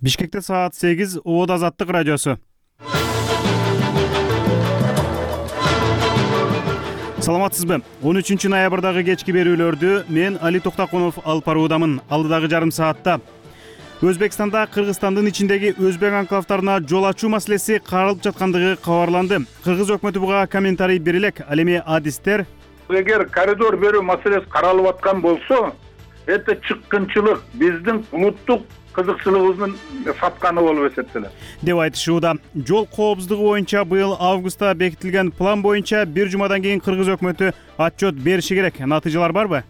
Бишкекте саат 8 Оод Азаттык радиосу. Саламатсызбы? 13 ноябрдагы кечки берүүлөрдү мен Али Токтакунов алып баруудамын. Алдыдагы жарым саатта Өзбекстанда Кыргызстандын ичиндеги өзбек анклавтарына жол ачуу маселеси каралып жаткандыгы кабарланды. Кыргыз өкмөтү буга комментарий бере элек. Ал эми адистер эгер коридор берүү маселеси каралып аткан болсо, это чыккынчылык, биздин улуттук кызыкчылыгыбыздын сатканы болуп эсептелет деп айтышууда. Жол коопсуздугу боюнча быйыл августта бекитилген план боюнча бир жумадан кийин Кыргыз өкмөтү отчет бериши керек. Натыйжалар барбы?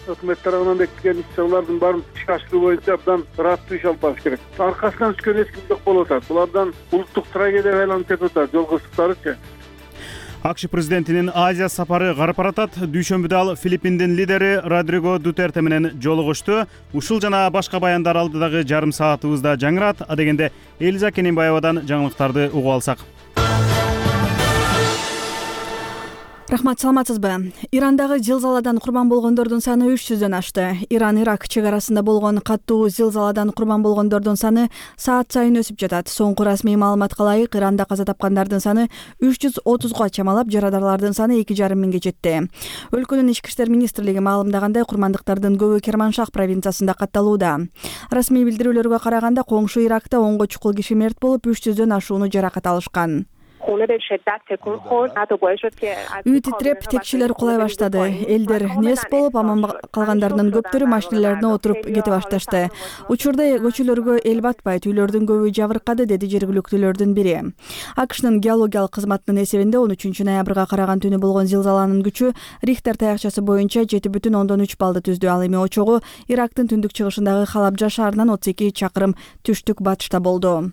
Өкмөт тарабынан бекитилген иш-чаралардын баарын ишке ашыруу боюнча абдан ыраттуу иш алып барыш керек. Аркасынан түшкөн эч ким жок болуп атат. Булардан улуттук трагедия айланып кетип атат, жол кырсыктарычы. АКШ президентинин Азия сапары карап баратат. Дүйшөмбүдө ал Филиппиндин лидери Родриго Дутерте менен жолугушту. Ушул жана башка баяндар алдыдагы жарым саатыбызда жаңырат. Адегенде Элиза Кененбаевадан жаңылыктарды угуп алсак. Рахмат, саламатсызбы? Ирандагы зилзаладан курбан болгондордун саны 300дөн ашты. Иран-Ирак чек арасында болгон каттуу зилзаладан курбан болгондордун саны саат сайын өсүп жатат. Соңку расмий маалыматка ылайык, Иранда каза тапкандардын саны 330га чамалап, жарадарлардын саны 2,5 миңге жетти. Өлкөнүн ички иштер министрлиги маалымдагандай, курмандыктардын көбү Керманшах провинциясында катталууда. Расмий билдирүүлөргө караганда, коңшу Иракта 10 чукул киши мерт болуп, 300дөн ашууну жаракат алышкан. Үй титиреп, текчелер кулай баштады. Элдер нес болуп, аман калгандарынын көптөрү машиналарына отуруп кете башташты. Учурда көчөлөргө эл батпайт, үйлөрдүн көбү жабыркады, деди жергиликтүүлөрдүн бири. АКШнын геологиялык кызматынын эсебинде 13 ноябрга караган түнү болгон зилзаланын күчү Рихтер таякчасы боюнча 7,3 баллды түздү. Ал эми очогу Ирактын түндүк чыгышындагы Халабжа шаарынан 32 чакырым түштүк батышта болду.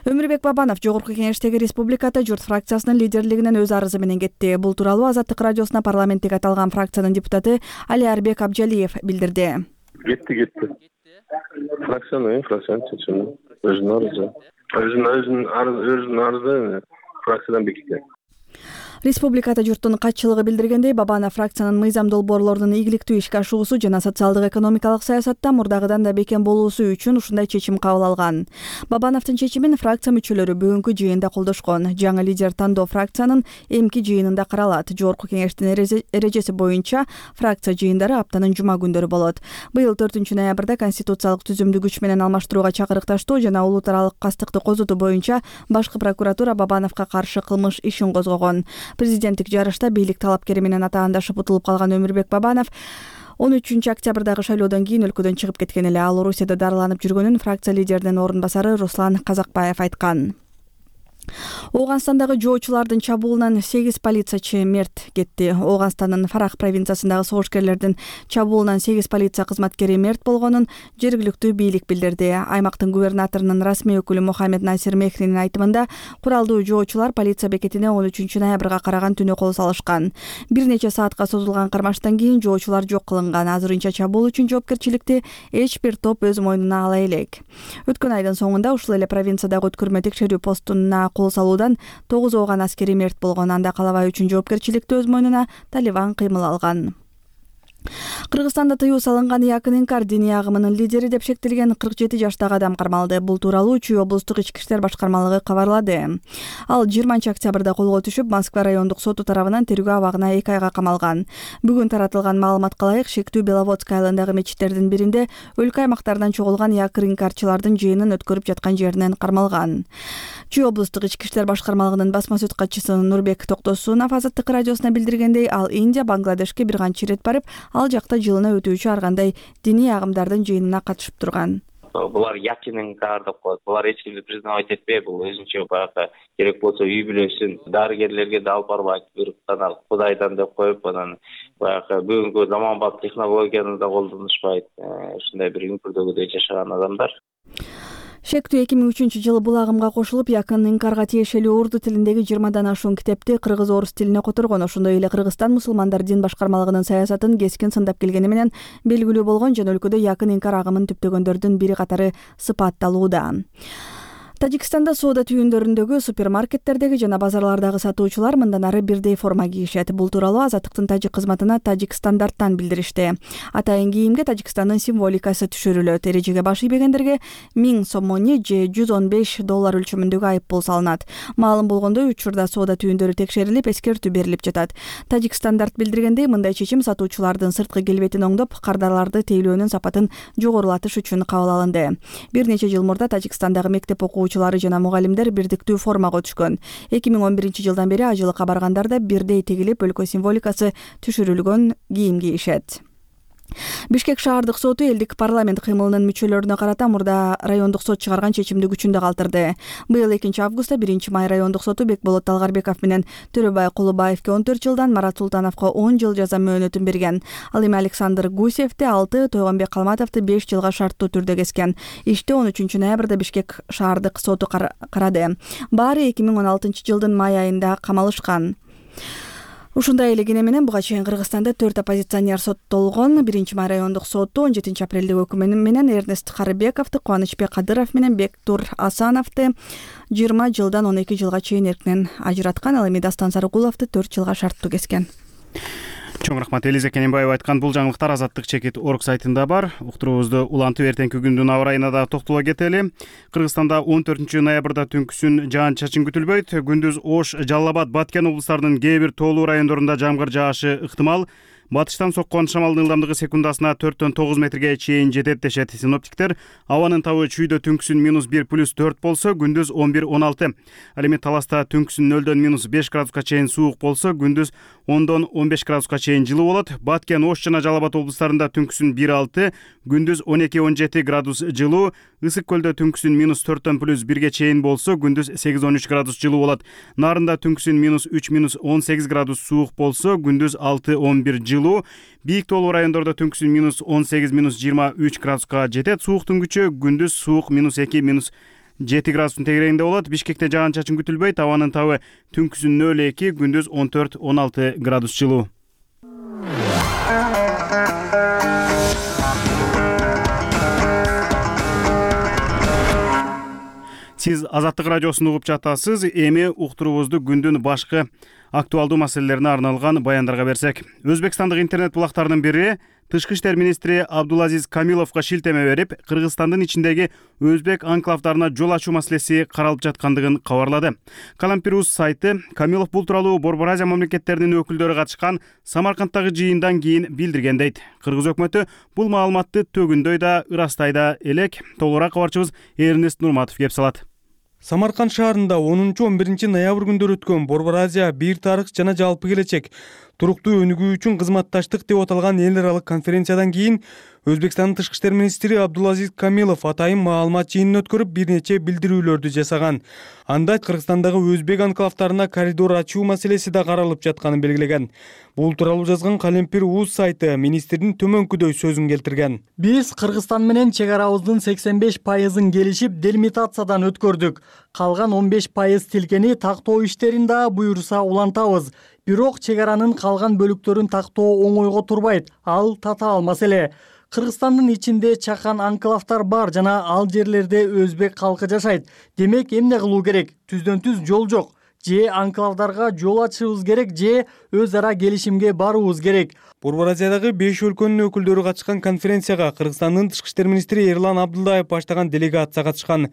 Өмүрбек Бабанов Жогорку Кеңештеги Республикада журт фракциясынын лидерлигинен өз арызы менен кетти. Бул тууралуу Азаттык радиосуна парламенттик аталган фракциянын депутаты Алиарбек Абжалиев билдирди. Кетти. Фракциянын чечими өзүнүн арызы фракциядан бекиткен. Республикада журттун катчылыгы билдиргендей, Бабанов фракциянын мыйзам долбоорлорунун ийгиликтүү ишке ашуусу жана социалдык экономикалык саясатта мурдагыдан да бекем болуусу үчүн ушундай чечим кабыл алган. Бабановдун чечимин фракция мүчөлөрү бүгүнкү жыйында колдошкон. Жаңы лидер тандоо фракциянын эмки жыйынында каралат. Жогорку Кеңештин эрежеси боюнча фракция жыйындары аптанын жума күндөрү болот. Быйыл 4 ноябрда конституциялык түзүмдү күч менен алмаштырууга чакырыкташтоо жана улут аралык кастыкты козутуу боюнча башкы прокуратура Бабановго каршы кылмыш ишин козгогон. Президенттик жарышта бийлик талапкери менен атаандашып утулуп калган Өмүрбек Бабанов 13 октябрдагы шайлоодон кийин өлкөдөн чыгып кеткен эле. Ал Орусияда дарыланып жүргөнүн фракция лидеринин орун басары Руслан Казакбаев айткан. Ооганстандагы жоочулардын чабуулунан 8 полициячы мерт кетти. Ооганстандын Фарах провинциясындагы согушкерлердин чабуулунан 8 полиция кызматкери мерт болгонун жергиликтүү бийлик билдирди. Аймактын губернаторунун расмий өкүлү Мухаммед Насир Мехринин айтымында, куралдуу жоочулар полиция бекетине 13 ноябрга караган түнү кол салышкан. Бир нече саатка созулган кармаштан кийин жоочулар жок кылынган. Азырынча чабуул үчүн жоопкерчиликти эч бир топ өз мойнуна ала элек. Өткөн айдын соңунда ушул эле провинциядагы өткөрмө текшерүү постуна кол салуудан 9 ооган аскери мерт болгон. Анда калабай үчүн жоопкерчиликти өз мойнуна Талибан кыймыл алган. Кыргызстанда тыюу салынган Якын Инкар диний агымынын лидери деп шектелген 47 жаштагы адам кармалды. Бул тууралуу Чүй облустук ички иштер башкармалыгы кабарлады. Ал 20 октябрда колго түшүп, Москва райондук соту тарабынан тергөө абагына 2 айга камалган. Бүгүн таратылган маалыматка ылайык, шектүү Беловодск айылындагы мечиттердин биринде өлкө аймактардан чогулган Якын Инкарчылардын жыйынын өткөрүп жаткан жеринен кармалган. Чүй облустук ички иштер башкармалыгынын басма сөз катчысы Нурбек Токтосунов Азаттык радиосуна билдиргендей, ал Индия, Бангладешке бир канча ирет барып, ал жакта жылына өтүүчү ар кандай диний агымдардын жыйынына катышып турган. Булар Якын Инкар деп коет. Булар эч кимди признавать этпей, бул өзүнчө баягы керек болсо үй бүлөсүн дарыгерлерге да алып барбайт, бир гана Кудайдан деп коюп, анан баягы бүгүнкү заманбап технологияны да колдонушпайт. Ушундай бир үңкүрдөгүдөй жашаган адамдар. Шектүү 2003 жылы бул агымга кошулуп, Якын Инкарга тиешелүү урду тилиндеги 20дан ашуун китепти кыргыз-орус тилине которгон. Ошондой эле Кыргызстан мусулмандар дин башкармалыгынын саясатын кескин сындап келгени менен белгилүү болгон жана өлкөдө Якын Инкар агымын түптөгөндөрдүн бири катары сыпатталууда. Тажикстанда соода түйүндөрүндөгү, супермаркеттердеги жана базарлардагы сатуучулар мындан ары бирдей форма кийишет. Бул тууралуу Азаттыктын тажик кызматына Тажик стандарттан билдиришти. Атайын кийимге Тажикстандын символикасы түшүрүлөт. Эрежеге баш ийбегендерге 1000 сомони же $115 өлчөмүндөгү айыппул салынат. Маалым болгондой, учурда соода түйүндөрү текшерилип, эскертүү берилип жатат. Тажик стандарт билдиргендей, мындай чечим сатуучулардын сырткы келбетин оңдоп, кардарларды тейлөөнүн сапатын жогорулатыш үчүн кабыл алынды. Бир нече жыл мурда Тажикстандагы мектеп окуучулары жана мугалимдер бирдиктүү формага өтүшкөн. 2011 жылдан бери ажылыкка баргандар бирдей тегилип, өлкө символикасы түшүрүлгөн кийим кийишет. Бишкек шаардык соту элдик парламент кыймылынын мүчөлөрүнө карата мурда райондук сот чыгарган чечимди күчүндө калтырды. Быйыл 2 августта 1 май райондук соту Бекболот Талгарбеков менен Төрөбай Кулубаевке 14 жылдан, Марат Султановго 10 жыл жаза мөөнөтүн берген. Ал эми Александр Гусевди 6, Тойгонбек Калматовду 5 жылга шарттуу түрдө кескен. Ишти 13 ноябрда Бишкек шаардык соту карады. Баары 2016 жылдын май айында камалышкан. Ушундай эле кене менен буга чейин Кыргызстанда 4 оппозиционер соттолгон. 1 май райондук соту 17 апрелдеги өкүмү менен Эрнест Карыбековду, Кубанычбек Кадыров менен Бектур Асановду 20 жылдан 12 жылга чейин эркинен ажыраткан. Ал эми Дастан Сарыкуловду 4 жылга шарттуу кескен. Чоң рахмат. Элиза Кененбаева айткан бул жаңылыктар Азаттык.org сайтында бар. Уктуруубузду улантып, эртеңки күндүн аба ырайына да токтоло кетели. Кыргызстанда 14 ноябрда түнкүсүн жаан-чачын күтүлбөйт. Күндүз Ош, Жалал Абад, Баткен облустарынын кээ бир тоолуу райондорунда жамгыр жаашы ыктымал. Батыштан соккон шамалдын ылдамдыгы секундасына 4-9 метрге чейин жетет дешет синоптиктер. Абанын табы чүйдө түнкүсүн -1 + 4 болсо, күндүз 11-16. Ал эми Таласта түнкүсүн 0-5 градуска чейин суук болсо, күндүз 10-15 градуска чейин жылуу болот. Баткен, Ош жана Жалал Абад облустарында түнкүсүн 1-6, күндүз 12-17 градус жылуу. Ысык көлдө түнкүсүн -4-+1 чейин болсо, күндүз 8-13 градус жылуу болот. Нарында түнкүсүн -3-18 градус суук болсо, күндүз 6-11 жылуу. Бийик тоолуу райондордо түнкүсүн -18-23 градуска жетет. Сууктун күчү күндүз суук -2-7 градустун тегерегинде болот. Бишкекте жаан-чачын күтүлбөйт. Абанын табы түнкүсүн 0-2, күндүз 14-16 градус жылуу. Сиз Азаттык радиосун угуп жатасыз. Эми уктуруубузду күндүн башкы актуалдуу маселелерине арналган баяндарга берсек. Өзбекстандык интернет булактарынын бири Тышкы иштер министри Абдулазиз Камиловго шилтеме берип, Кыргызстандын ичиндеги өзбек анклавдарына жол ачуу маселеси каралып жаткандыгын кабарлады. Калампир.uz сайты Камилов бул тууралуу Борбор Азия мамлекеттеринин өкүлдөрү катышкан Самаркандтагы жыйындан кийин билдирген дейт. Кыргыз өкмөтү бул маалыматты төгүндөй да, ырастай да элек. Толугураак кабарчыбыз Эрнест Нурматов кеп салат. Самарканд шаарында 10-11 ноябрь күндөрү өткөн Борбор Азия бир тарых жана жалпы келечек туруктуу өнүгүү үчүн кызматташтык деп аталган эл аралык конференциядан кийин Өзбекстандын тышкы иштер министри Абдулазиз Камилов атайын маалымат жыйынын өткөрүп, бир нече билдирүүлөрдү жасаган. Анда Кыргызстандагы өзбек анклавдарына коридор ачуу маселеси да каралып жатканын белгилеген. Бул тууралуу жазган Калампир.uz сайты министрдин төмөнкүдөй сөзүн келтирген. Биз Кыргызстан менен чек арабыздын 85%-ын келишип делимитациядан өткөрдүк. Калган 15% тилкени тактоо иштерин да буюрса улантабыз. Бирок чек аранын калган бөлүктөрүн тактоо оңойго турбайт. Ал татаал маселе. Кыргызстандын ичинде чакан анклавдар бар жана ал жерлерде өзбек калкы жашайт. Демек эмне кылуу керек? Түздөн-түз жол жок. Же анклавдарга жол ачышыбыз керек, же өз ара келишимге баруубуз керек. Борбор Азиядагы 5 өлкөнүн өкүлдөрү катышкан конференцияга Кыргызстандын тышкы иштер министри Эрлан Абдулдаев баштаган делегация катышкан.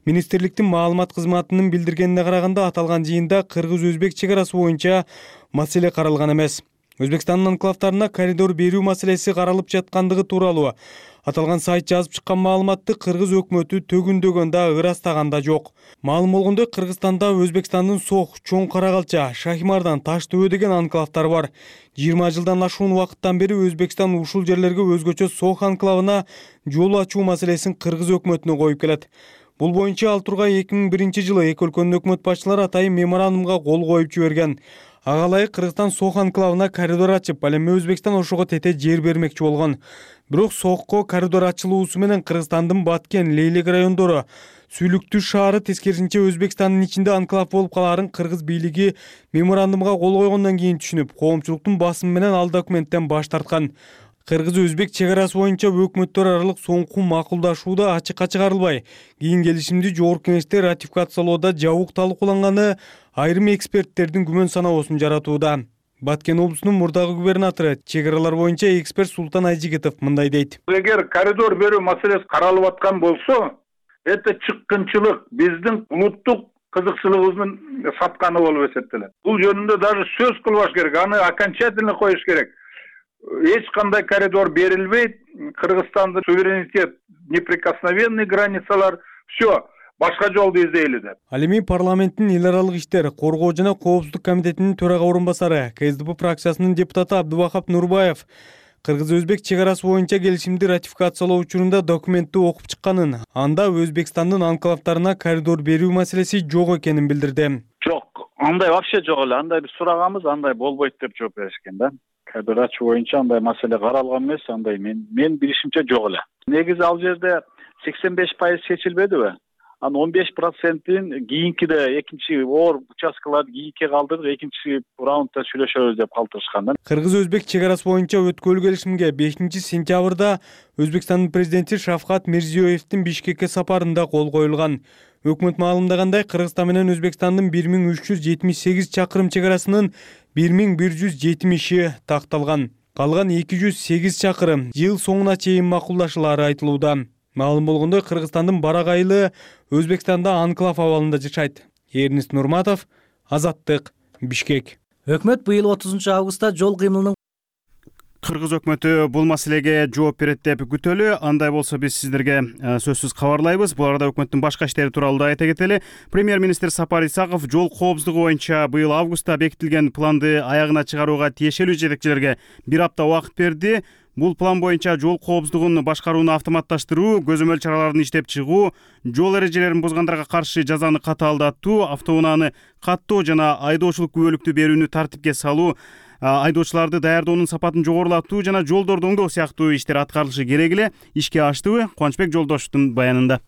Министрликтин маалымат кызматынын билдиргенине караганда, аталган жыйында кыргыз-өзбек чек арасы боюнча маселе каралган эмес. Өзбекстандын анклавдарына коридор берүү маселеси каралып жаткандыгы тууралуу аталган сайт жазып чыккан маалыматты кыргыз өкмөтү төгүндөгөн да, ырастаган да жок. Маалым болгондой, Кыргызстанда Өзбекстандын Сох, Чоң Карагалча, Шахимардан, Таш Төбө деген анклавдар бар. 20 жылдан ашуун убакыттан бери Өзбекстан ушул жерлерге өзгөчө Сох анклавына жол ачуу маселесин кыргыз өкмөтүнө коюп келет. Бул боюнча ал тургай 2001 жылы эки өлкөнүн өкмөт башчылары атайын меморандумга кол коюп жиберген. Ага ылайык Кыргызстан Сох анклавына коридор ачып, ал эми Өзбекстан ошого тете жер бермекчи болгон. Бирок Сохко коридор ачылуусу менен Кыргызстандын Баткен, Лейлек райондору, Сүйлүктүү шаары тескерисинче Өзбекстандын ичинде анклав болуп калаарын кыргыз бийлиги меморандумга кол койгондон кийин түшүнүп, коомчулуктун басымы менен ал документтен баш тарткан. Кыргыз-өзбек чек арасы боюнча өкмөттөр аралык соңку макулдашууда ачыкка чыгарылбай, кийин келишимди жогорку кеңеште ратификациялоодо жабык талкууланганы айрым эксперттердин күмөн саноосун жаратууда. Баткен облусунун мурдагы губернатору, чек аралар боюнча эксперт Султан Айжигитов мындай дейт. Эгер коридор берүү маселеси каралып аткан болсо, это чыккынчылык, биздин улуттук кызыкчылыгыбыздын сатканы болуп эсептелет. Бул жөнүндө даже сөз кылбаш керек, аны окончательно коюш керек. Эч кандай коридор берилбейт, Кыргызстандын суверенитет, неприкосновенный границалар, все, башка жолду издейли деп. Ал эми парламенттин эл аралык иштер, коргоо жана коопсуздук комитетинин төрага орун басары, КСДП фракциясынын депутаты Абдубахап Нурбаев Кыргыз-өзбек чек арасы боюнча келишимди ратификациялоо учурунда документти окуп чыкканын, анда Өзбекстандын анклавтарына коридор берүү маселеси жок экенин билдирди. Жок, андай вообще жок эле. Андай биз сураганбыз, андай болбойт деп жооп беришкен да. Коридор ачуу боюнча андай маселе каралган эмес, андай мен билишимче жок эле. Негизи ал жерде 85% чечилбедиби? Анын 15%ин кийинкиде экинчи оор участкаларды кийинке калтырдык, экинчи раундда сүйлөшөбүз деп калтырышкан да. Кыргыз-өзбек чек арасы боюнча өткөрүлгөн келишимге 5-сентябрда Өзбекстандын президенти Шавкат Мирзиёевдин Бишкекке сапарында кол коюлган. Өкмөт маалымдагандай, Кыргызстан менен Өзбекстандын 1378 чакырым чек арасынын 1170 такталган. Калган 208 чакырым жыл соңуна чейин макулдашылары айтылууда. Маалым болгондой, Кыргызстандын барак айылы Өзбекстанда анклав абалында жашайт. Эрнест Нурматов, Азаттык, Бишкек. Өкмөт быйыл 30 августта жол кыймылынын Кыргыз өкмөтү бул маселеге жооп берет деп күтөлү. Андай болсо биз сиздерге сөзсүз кабарлайбыз. Бул арада өкмөттүн башка иштери тууралуу да айта кетели. Премьер-министр Сапар Исаков жол коопсуздугу боюнча быйыл августта бекитилген планды аягына чыгарууга тиешелүү жетекчилерге 1 апта убакыт берди. Бул план боюнча жол коопсуздугун башкарууну автоматташтыруу, көзөмөл чараларын иштеп чыгуу, жол эрежелерин бузгандарга каршы жазаны катаалдатуу, автоунааны каттоо жана айдоочулук күбөлүктү берүүнү тартипке салуу, айдоочуларды даярдоонун сапатын жогорулатуу жана жолдорду оңдоо сыяктуу иштер аткарылышы керек эле. Ишке аштыбы? Кубанычбек Жолдошовдун баянында.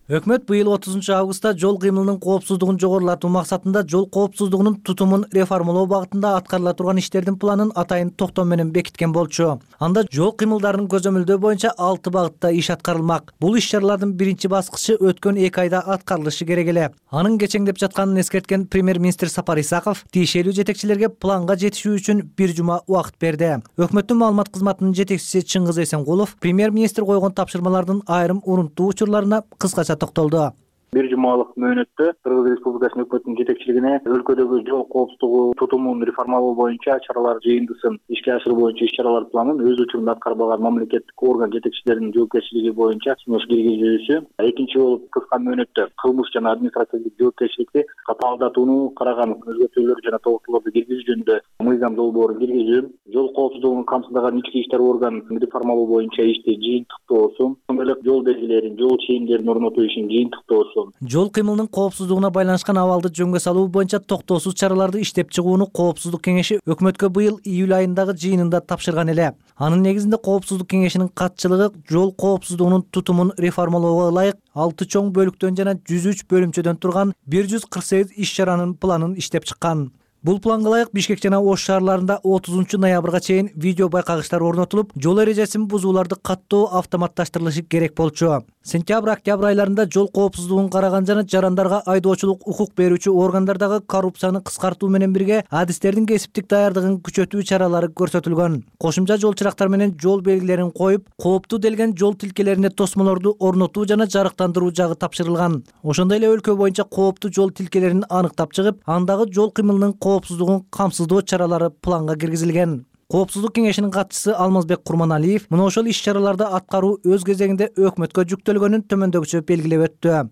Өкмөт быйыл 30 августта жол кыймылынын коопсуздугун жогорулатуу максатында жол коопсуздугунун тутумун реформалоо багытында аткарыла турган иштердин планын атайын токтом менен бекиткен болчу. Анда жол кыймылдарынын көзөмөлдөө боюнча 6 багытта иш аткарылмак. Бул иш-чаралардын биринчи баскычы өткөн 2 айда аткарылышы керек эле. Анын кечеңдеп жатканын эскерткен премьер-министр Сапар Исаков тиешелүү жетекчилерге планга жетишүү үчүн 1 жума убакыт берди. Өкмөттүн маалымат кызматынын жетекчиси Чыңгыз Эсенгулов премьер-министр койгон тапшырмалардын айрым урунттуу учурларына кыскача токтолду. 1 жумалык мөөнөттө Кыргыз Республикасынын өкмөтүнүн жетекчилигине өлкөдөгү жол коопсуздугу тутумун реформалоо боюнча чаралар жыйындысын ишке ашыруу боюнча иш-чаралар планын өз учурунда аткарбаган мамлекеттик орган жетекчилеринин жоопкерчилиги боюнча кеңеш киргизүүсү. Экинчи болуп кыска мөөнөттө кылмыш жана административдик жоопкерчиликти катаалдатууну караган өзгөртүүлөр жана толуктоолорду киргизүү жөнүндө мыйзам долбоорун киргизүү, жол коопсуздугун камсыздаган ички иштер органын реформалоо боюнча ишти жыйынтыктоосу, ошондой эле жол белгилерин, жол чейимдерин орнотуу ишин жыйынтыктоосу. Жол кыймылынын коопсуздугуна байланышкан абалды жөнгө салуу боюнча токтоосуз чараларды иштеп чыгууну Коопсуздук кеңеши өкмөткө быйыл июль айындагы жыйынында тапшырган эле. Анын негизинде Коопсуздук кеңешинин катчылыгы жол коопсуздугунун тутумун реформалоого ылайык 6 чоң бөлүктөн жана 103 бөлүмчөдөн турган 148 иш-чаранын планын иштеп чыккан. Бул планга ылайык Бишкек жана Ош шаарларында 30 ноябрга чейин видео байкагычтар орнотулуп, жол эрежесин бузууларды каттоо автоматташтырылышы керек болчу. Сентябрь-октябрь айларында жол коопсуздугун караган жана жарандарга айдоочулук укук берүүчү органдардагы коррупцияны кыскартуу менен бирге адистердин кесиптик даярдыгын күчөтүү чаралары көрсөтүлгөн. Кошумча жол чырактар менен жол белгилерин коюп, кооптуу делген жол тилкелерине тосмолорду орнотуу жана жарыктандыруу жагы тапшырылган. Ошондой эле өлкө боюнча кооптуу жол тилкелерин аныктап чыгып, андагы жол кыймылынын коопсуздугун камсыздоо чаралары планга киргизилген. Коопсуздук кеңешинин катчысы Алмазбек Курманалиев мына ошол иш-чараларды аткаруу өз кезегинде өкмөткө жүктөлгөнүн төмөндөгүчө белгилеп өттү.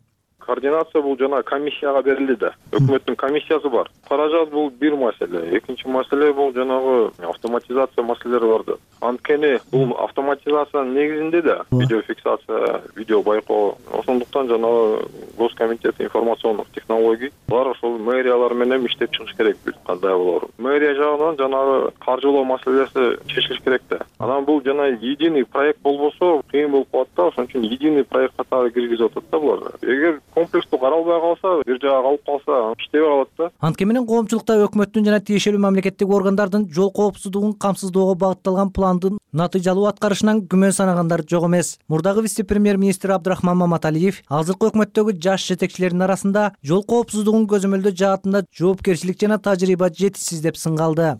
Координация бул жана комиссияга берилди да. Өкмөттүн комиссиясы бар. Каражат бул бир маселе. Экинчи маселе бул жанагы автоматизация маселелери бар да. Анткени бул автоматизациянын негизинде да видеофиксация, видео байкоо. Ошондуктан жанагы Госкомитет информациондук технологий бар ошол мэриялар менен иштеп чыгыш керек кандай болор. Мэрия жагынан жанагы каржылоо маселеси чечилиш керек да. Анан бул жана единый проект болбосо кыйын болуп калат да. Ошон үчүн единый проект катары киргизип атат да булар. Эгер комплекстүү каралбай калса, бир жага калып калса, иштебей калат да. Антке менен коомчулукта өкмөттүн жана тиешелүү мамлекеттик органдардын жол коопсуздугун камсыздоого багытталган пландын натыйжалуу аткарышынан күмөн санагандар жок эмес. Мурдагы вице-премьер-министр Абдрахман Маматалиев азыркы өкмөттөгү жаш жетекчилердин арасында жол коопсуздугун көзөмөлдөө жаатында жоопкерчилик жана тажрыйба жетишсиз деп сынгалды.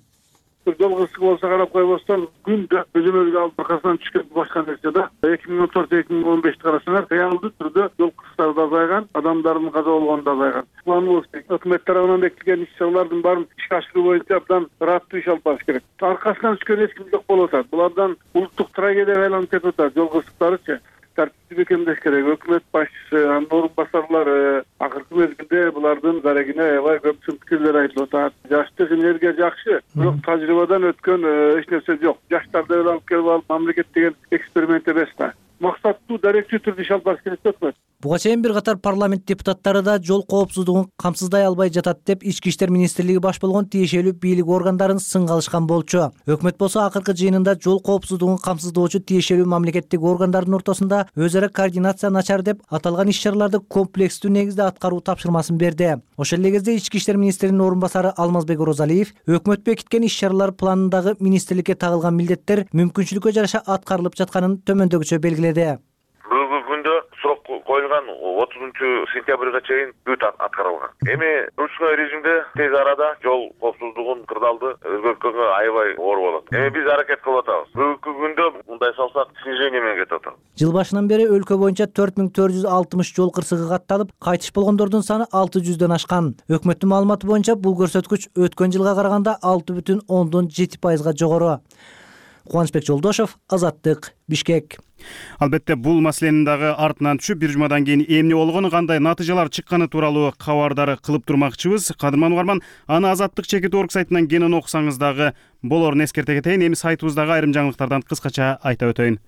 Жол кырсыгы болсо карап койбостон күндө көзөмөлгө алып аркасынан түшкөн башка нерсе да. 2014-2015 карасаңар реалдуу түрдө жол кырсыктары да азайган, адамдардын каза болгону да азайган. Планыбыз өкмөт тарабынан бекитилген иш-чаралардын баарын ишке ашыруу боюнча абдан ыраттуу иш алып барыш керек. Аркасынан түшкөн эч ким жок болуп атат. Булардан улуттук трагедияга айланып кетип атат. Жол кырсыктарычы тартипти бекемдеш керек. Өкмөт башчысы, анын орун басарлары акыркы мезгилде булардын зарегине аябай көп сын пикирлер айтылып атат. Жаштык энергия жакшы, бирок тажрыйбадан өткөн эч нерсе жок. Жаштарды алып келип алып мамлекет деген эксперимент эмес да. Максаттуу даректүү түрдө иш алып барыш керек өкмөт. Буга чейин бир катар парламент депутаттары да жол коопсуздугун камсыздай албай жатат деп Ички иштер министрлиги баш болгон тиешелүү бийлик органдарын сынгалышкан болчу. Өкмөт болсо акыркы жыйынында жол коопсуздугун камсыздоочу тиешелүү мамлекеттик органдардын ортосунда өз ара координация начар деп аталган иш-чараларды комплекстүү негизде аткаруу тапшырмасын берди. Ошол эле кезде Ички иштер министринин орун басары Алмазбек Орозалиев өкмөт бекиткен иш-чаралар планындагы министрликке тагылган милдеттер мүмкүнчүлүккө жараша аткарылып жатканын төмөндөгүчө белгиледи. Бүгүнкү күндө срок коюлган 30-сентябрга чейин бүт аткарылган. Эми ручной режимде тез арада жол коопсуздугун кырдаалды өзгөрткөнгө аябай оор болот. Эми биз аракет кылып атабыз. Бүгүнкү күндө мындай салсак снижение менен кетип атабыз. Жыл башынан бери өлкө боюнча 4460 жол кырсыгы катталып, кайтыш болгондордун саны 600дөн ашкан. Өкмөттүн маалыматы боюнча бул көрсөткүч өткөн жылга караганда 6,7%га жогору. Кубанычбек Жолдошов, Азаттык, Бишкек. Албетте бул маселенин дагы артынан түшүп, бир жумадан кийин эмне болгону, кандай натыйжалар чыкканы тууралуу кабардары кылып турмакчыбыз. Кадырман угарман, аны Азаттык чекит орг сайтынан кенен окусаңыз дагы болорун эскерте кетейин. Эми сайтыбыздагы айрым жаңылыктардан кыскача айта өтөйүн.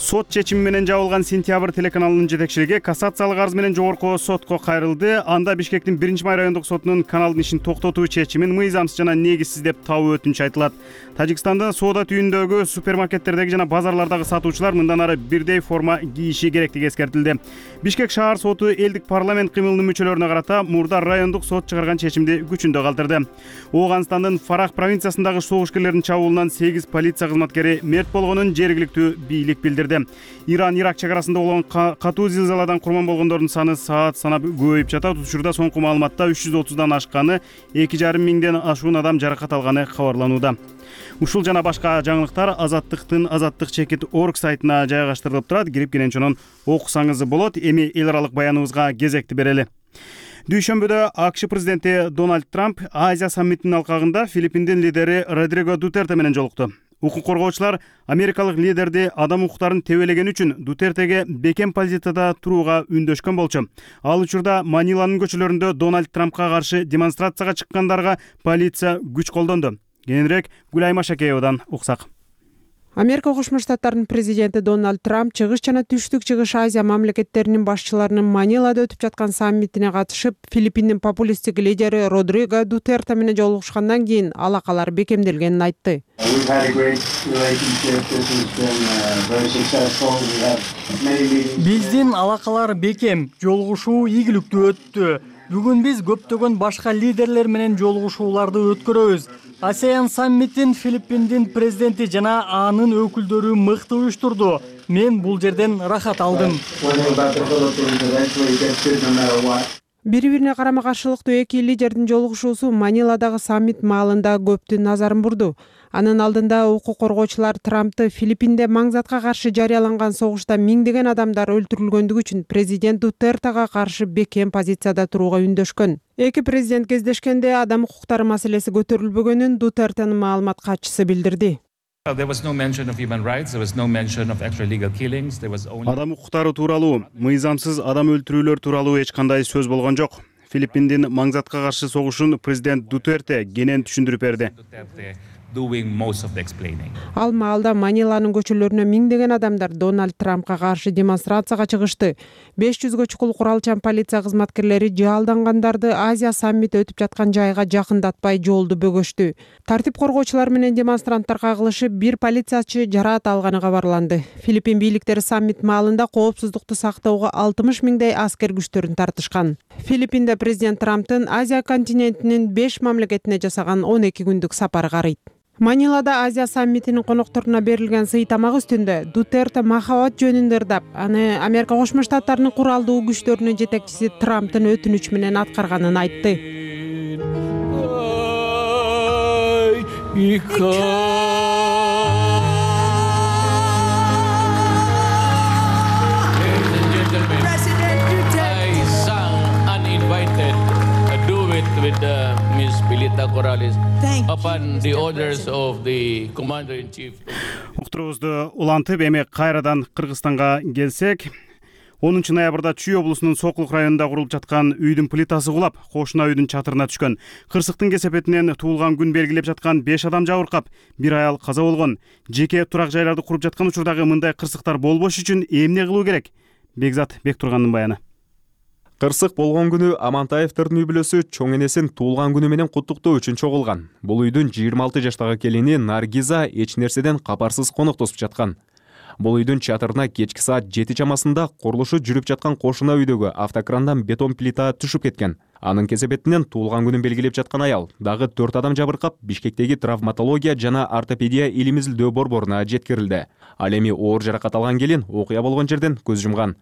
Сот чечими менен жабылган Сентябрь телеканалынын жетекчилиги кассациялык арыз менен жогорку сотко кайрылды. Анда Бишкектин 1-май райондук сотунун каналдын ишин токтотуу чечимин мыйзамсыз жана негизсиз деп табуу өтүнүч айтылат. Тажикстанда соода түйүндөгү супермаркеттердеги жана базарлардагы сатуучулар мындан ары бирдей форма кийиши керектиги эскертилди. Бишкек шаар соту элдик парламент кыймылынын мүчөлөрүнө карата мурда райондук сот чыгарган чечимди күчүндө калтырды. Ооганстандын Фарах провинциясындагы согуш-кээрлердин чабуулунан 8 полиция кызматкери мерт болгонун жергиликтүү бийлик билдирди. Иран-Ирак чек арасында болгон катуу зилзаладан курман болгондордун саны саат санап көбөйүп жатат. Учурда соңку маалыматта 330дан ашканы, 2,5 миңден ашуун адам жаракат алганы кабарланууда. Ушул жана башка жаңылыктар Азаттыктын Азаттык чекит орг сайтына жайгаштырылып турат. Кирип кенен окусаңыз болот. Эми эл аралык баяныбызга кезекти берели. Дүйшөмбүдө АКШ президенти Дональд Трамп Азия саммитинин алкагында Филиппиндин лидери Родриго Дутерте менен жолукту. Укук коргоочулар америкалык лидерди адам укуктарын тебелегени үчүн Дутертеге бекем позицияда турууга үндөшкөн болчу. Ал учурда Маниланын көчөлөрүндө Дональд Трампка каршы демонстрацияга чыккандарга полиция күч колдонду. Кененирээк Гүлайма Шакеевадан уксак. Америка Кошмо Штаттарынын президенти Дональд Трамп чыгыш жана түштүк чыгыш Азия мамлекеттеринин башчыларынын Манилада өтүп жаткан саммитине катышып, Филиппиндин популисттик лидери Родриго Дутерте менен жолугушкандан кийин алакалар бекемделгенин айтты. Биздин алакалар бекем, жолугушуу ийгиликтүү өттү. Бүгүн биз көптөгөн башка лидерлер менен жолугушууларды өткөрөбүз. ASEAN саммитин Филиппиндин президенти жана анын өкүлдөрү мыкты уюштурду. Мен бул жерден рахат алдым. Бири-бирине карама-каршылыктуу эки лидердин жолугушуусу Маниладагы саммит маалында көптүн назарын бурду. Анын алдында укук коргоочулар Трампты Филиппинде маңзатка каршы жарыяланган согушта миңдеген адамдар өлтүрүлгөндүгү үчүн президент Дутертега каршы бекем позицияда турууга үндөшкөн. Эки президент кездешкенде адам укуктары маселеси көтөрүлбөгөнүн Дутертенин маалымат катчысы билдирди. Адам укуктары тууралуу, мыйзамсыз адам өлтүрүүлөр тууралуу эч кандай сөз болгон жок. Филиппиндин маңзатка каршы согушун президент Дутерте кенен түшүндүрүп берди. Ал маалда Маниланын көчөлөрүнө миңдеген адамдар Дональд Трампка каршы демонстрацияга чыгышты. 500гө чукул куралчан полиция кызматкерлери жаалдангандарды Азия саммити өтүп жаткан жайга жакындатпай жолду бөгөштү. Тартип коргоочулар менен демонстранттар кагылышып, бир полициячы жараат алганы кабарланды. Филиппин бийликтери саммит маалында коопсуздукту сактоого 60 миңдей аскер күчтөрүн тартышкан. Филиппинде президент Трамптын Азия континентинин 5 мамлекетине жасаган 12 күндүк сапары карыйт. Манилада Азия саммитинин конокторуна берилген сый тамак үстүндө Дутерте махабат жөнүндө ырдап, аны Америка Кошмо Штаттарынын куралдуу күчтөрүнүн жетекчиси Трамптын өтүнүч менен аткарганын айтты. With Miss Pilita Corrales upon the orders of the Commander-in-Chief. Уктурубузду улантып, эми кайрадан Кыргызстанга келсек, 10 ноябрда Чүй облусунун Сокулук районунда курулуп жаткан үйдүн плитасы кулап, кошуна үйдүн чатырына түшкөн. Кырсыктын кесепетинен туулган күн белгилеп жаткан 5 адам жабыркап, бир аял каза болгон. Жеке турак жайларды куруп жаткан учурдагы мындай кырсыктар болбош үчүн эмне кылуу керек? Бекзат Бектургандын баяны. Кырсык болгон күнү Амантаевдердин үй бүлөсү чоң энесин туулган күнү менен куттуктоо үчүн чогулган. Бул үйдүн 26 жаштагы келини Наргиза эч нерседен капарсыз коноктосуп жаткан. Бул үйдүн чатырына кечки саат 7 чамасында курулушу жүрүп жаткан кошуна үйдөгү автокрандан бетон плита түшүп кеткен. Анын кесепетинен туулган күнүн белгилеп жаткан аял дагы 4 адам жабыркап, Бишкектеги травматология жана ортопедия илим-изилдөө борборуна жеткирилди. Ал эми оор жаракат алган келин окуя болгон жерден көз жумган.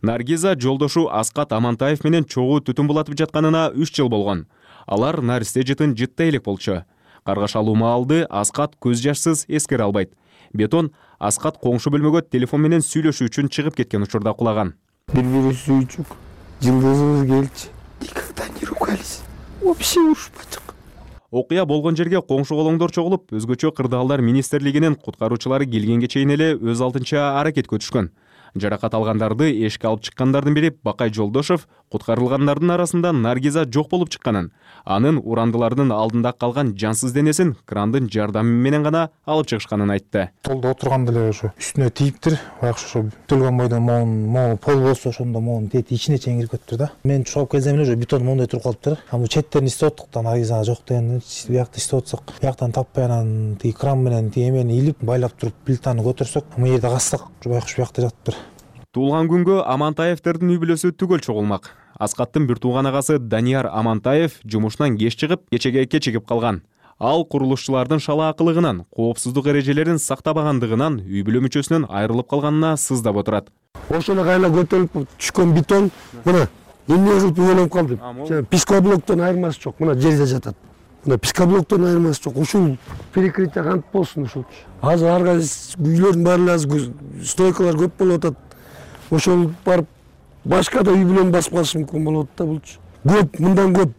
Наргиза жолдошу Аскат Амантаев менен чогуу түтүн булатып жатканына 3 жыл болгон. Алар наристе жытын жытта элек болчу. Каргашалуу маалды Аскат көз жашсыз эскере албайт. Бетон Аскат коңшу бөлмөгө телефон менен сүйлөшүү үчүн чыгып кеткен учурда кулаган. Бир-бири сүйчүк, жылдызыбыз келчи. Никогда не ругались. Вообще урушпачык. Окуя болгон жерге коңшу колоңдор чогулуп, өзгөчө кырдаалдар министрлигинин куткаруучулары келгенге чейин эле өз алдынча аракетке түшкөн. Жаракат алгандарды эшикке алып чыккандардын бири Бакай Жолдошов куткарылгандардын арасында Наргиза жок болуп чыкканын, анын урандылардын алдында калган жансыз денесин крандын жардамы менен гана алып чыгышканын айтты. Толдо отурганда эле ошо үстүнө тийиптир. Баягы ошо бүтүлгөн бойдон могу пол болсо ошондо могу тети ичине чейин кирип кетиптир да. Мен чогуп келсем эле ошо бетон моундай туруп калыптыр. Аны четтерин издеп аттык да, Наргиза жок деген биякты издеп атсак, бияктан таппай анан тиги кран менен тиги эмени илип байлап туруп плитаны көтөрсөк, мына жерде кассак байкуш биякта жатыптыр. Туулган күнгө Амантаевдердин үй бүлөсү түгөл чогулмак. Аскаттын бир тууган агасы Данияр Амантаев жумушунан кеч чыгып, кечеге кечигип калган. Ал курулушчулардын шалаакылыгынан, коопсуздук эрежелерин сактабагандыгынан үй бүлө мүчөсүнөн айрылып калганына сыздап отурат. Ошону кайла көтөрүп түшкөн бетон, мына эмне кылып үйлөнүп калдым. Пискоблоктон айырмасы жок, мына жерде жатат. Мына пискоблоктон айырмасы жок. Ушул перекрытие кантип болсун ушулчу. Азыр ар кайсы үйлөрдүн баары азыр стойкалар көп болуп атат. Ошол барып башка да үй бүлөнү басып калышы мүмкүн болот да булчу. Көп, мындан көп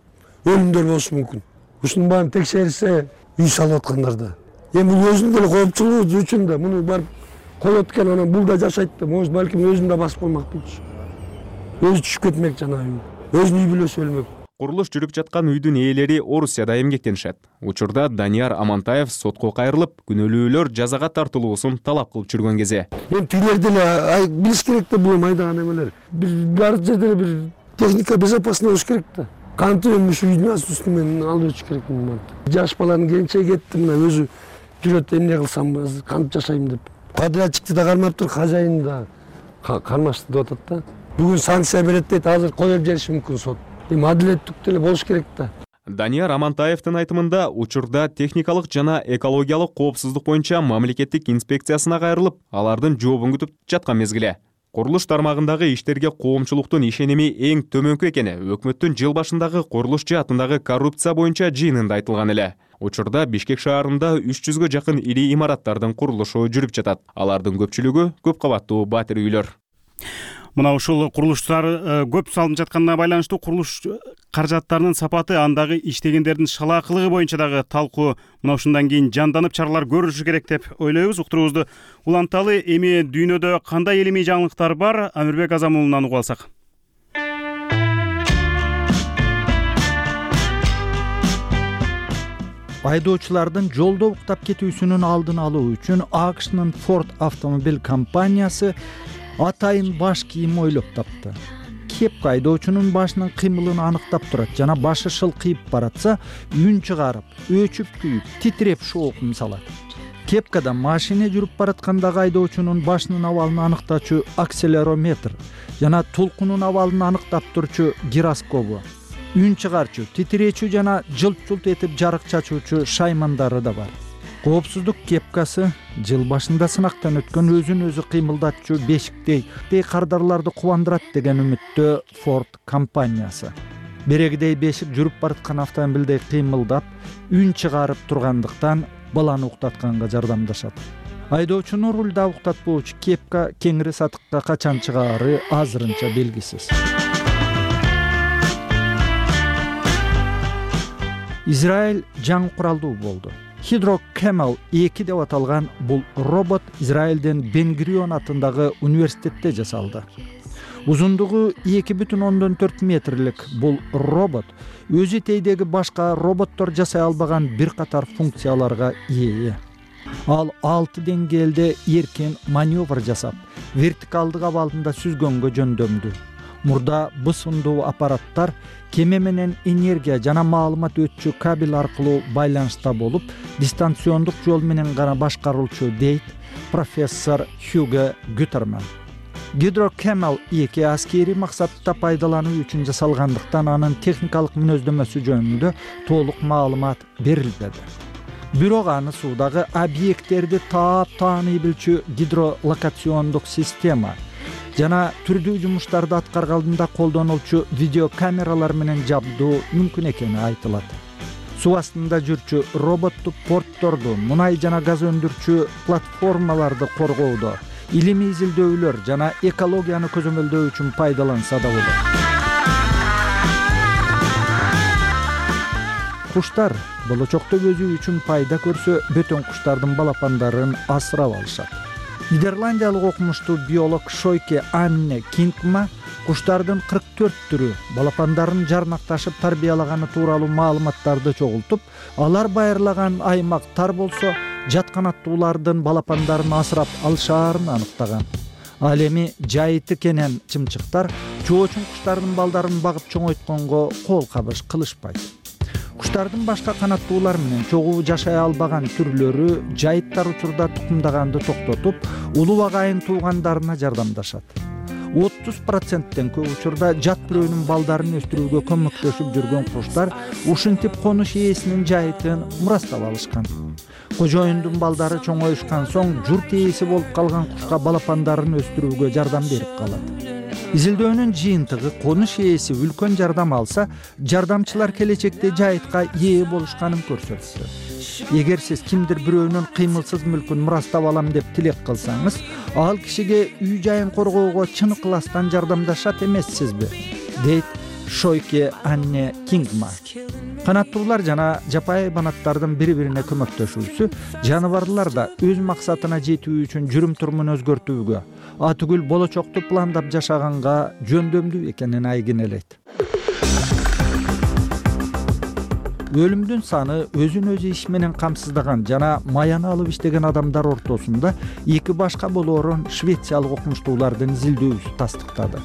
өлүмдөр болушу мүмкүн. Ушунун баарын текшерсе, үй салып аткандарда. Эми бул өзүнүн деле коопчулугу үчүн да муну барып коет экен, анан бул да жашайт да, может балким өзүн да басып коймок болчу. Өзү түшүп кетмек жана өзүнүн үй бүлөсү өлмөк. Курулуш жүрүп жаткан үйдүн ээлери Орусияда эмгектенишет. Учурда Данияр Амантаев сотко кайрылып, күнөөлүүлөр жазага тартылуусун талап кылып жүргөн кезде. Эми тилер деле билиш керек да, бул майдаган эмелер. Бар жерде бир техника безопасный болуш керек да. Кантип эми ушу үйдүн үстүнөн алып өтүш керек мына. Жаш баланын келинчеги кетти, мына өзү жүрөт, эмне кылсам, кантип жашайм деп. Подрядчикти да кармаптыр, хозяин да кармашты деп атат да. Бүгүн санкция берет дейт, азыр коюп жибериши мүмкүн сот. Эми адилеттүү деле болуш керек да. Данияр Амантаевдин айтымында учурда техникалык жана экологиялык коопсуздук боюнча мамлекеттик инспекциясына кайрылып, алардын жообун күтүп жаткан мезгиле. Курулуш тармагындагы иштерге коомчулуктун ишеними эң төмөнкү экени өкмөттүн жыл башындагы курулуш жаатындагы коррупция боюнча жыйынында айтылган эле. Учурда Бишкек шаарында 300гө жакын ири имараттардын курулушу жүрүп жатат. Алардын көпчүлүгү көп кабаттуу батир үйлөр. Мына ушул курулуштар көп салынып жатканына байланыштуу курулуш каражаттарынын сапаты, андагы иштегендердин шалаакылыгы боюнча дагы талкуу мына ушундан кийин жанданып чаралар көрүлүшү керек деп ойлойбуз. Уктуруубузду уланталы. Эми дүйнөдө кандай илимий жаңылыктар бар, Амирбек Азамуулунан угуп алсак. айдоочулардын жолдо уктап кетүүсүнүн алдын алуу үчүн АКШнын Ford автомобиль компаниясы атайын баш кийим ойлоп тапты. Кепка айдоочунун башынын кыймылын аныктап турат жана башы шылкыйып баратса, үн чыгарып, өчүп күйүп, титиреп шоокун салат. Кепкада машина жүрүп бараткандагы айдоочунун башынын абалын аныктачу акселерометр жана толкунун абалын аныктап турчу гироскобу, үн чыгарчу, титиречү жана жылт-жылт этип жарык чачуучу шаймандары да бар. Коопсуздук кепкасы жыл башында сынактан өткөн өзүн өзү кыймылдатчу бешиктей кардарларды кубандырат деген үмүттө Ford компаниясы. Берегидей бешик жүрүп бараткан автомобилдей кыймылдап, үн чыгарып тургандыктан баланы уктатканга жардамдашат. Айдоочуну рулда уктатпоочу кепка кеңири сатыкка качан чыгаары азырынча белгисиз. Израиль жаңы куралдуу болду. Hydro Camel 2 деп аталган бул робот Израилдин Бен-Гурион атындагы университетте жасалды. Узундугу 2,4 метрлик бул робот өзү тейдеги башка роботтор жасай албаган бир катар функцияларга ээ. Ал 6 деңгээлде эркин маневр жасап, вертикалдык абалында сүзгөнгө жөндөмдүү. Мурда бысындуу аппараттар кеме менен энергия жана маалымат өтчү кабель аркылуу байланышта болуп, дистанциондук жол менен гана башкарылчу дейт профессор Хьюго Гютерман. Hydro Camel 2 аскери максатта пайдалануу үчүн жасалгандыктан анын техникалык мүнөздөмөсү жөнүндө толук маалымат берилбеди. Бирок аны суудагы объекттерди таап тааный билчү гидролокациондук система жана түрдүү жумуштарды аткарганда колдонулчу видеокамералар менен жабдуу мүмкүн экени айтылат. Суу астында жүрчү роботту портторду, мунай жана газ өндүрчү платформаларды коргоодо, илимий изилдөөлөр жана экологияны көзөмөлдөө үчүн пайдаланса да болот. Куштар болочокто өзү үчүн пайда көрсө, бөтөн куштардын балапандарын асырап алышат. Нидерландиялык окумуштуу биолог Шойке Анне Кингма куштардын 44 түрү балапандарын жарнакташып тарбиялаганы тууралуу маалыматтарды чогултуп, алар байырлаган аймак тар болсо, жатканаттуулардын балапандарын асырап алышаарын аныктаган. Ал эми жайыты кенен чымчыктар жоочун куштардын балдарын багып чоңойтконго кол кабыш кылышпайт. Куштардын башка канаттуулар менен чогуу жашай албаган түрлөрү жайыттар учурда тукумдаганды токтотуп, улуу агайын туугандарына жардамдашат. 30%тен көп учурда жат бирөөнүн балдарын өстүрүүгө көмөктөшүп жүргөн куштар ушинтип конуш ээсинин жайытын мурастап алышкан. Кожоюндун балдары чоңоюшкан соң журт ээси болуп калган кушка балапандарын өстүрүүгө жардам берип калат. Изилдөөнүн жыйынтыгы конуш ээси үлкөн жардам алса, жардамчылар келечекте жайытка ээ болушканын көрсөттү. Эгер сиз кимдир бирөөнүн кыймылсыз мүлкүн мурастап алам деп тилек кылсаңыз, ал кишиге үй жайын коргоого чын ыкыластан жардамдашат эмессизби? Дейт Шойке Анне Кингма. Канаттуулар жана жапайы хайбанаттардын бири-бирине көмөктөшүүсү жаныбарлар да өз максатына жетүү үчүн жүрүм-турумун өзгөртүүгө, атүгүл болочокту пландап жашаганга жөндөмдүү экенин айгинелейт. Өлүмдүн саны өзүн өзү иш менен камсыздаган жана маяны алып иштеген адамдар ортосунда эки башка болоорун швециялык окумуштуулардын изилдөөсү тастыктады.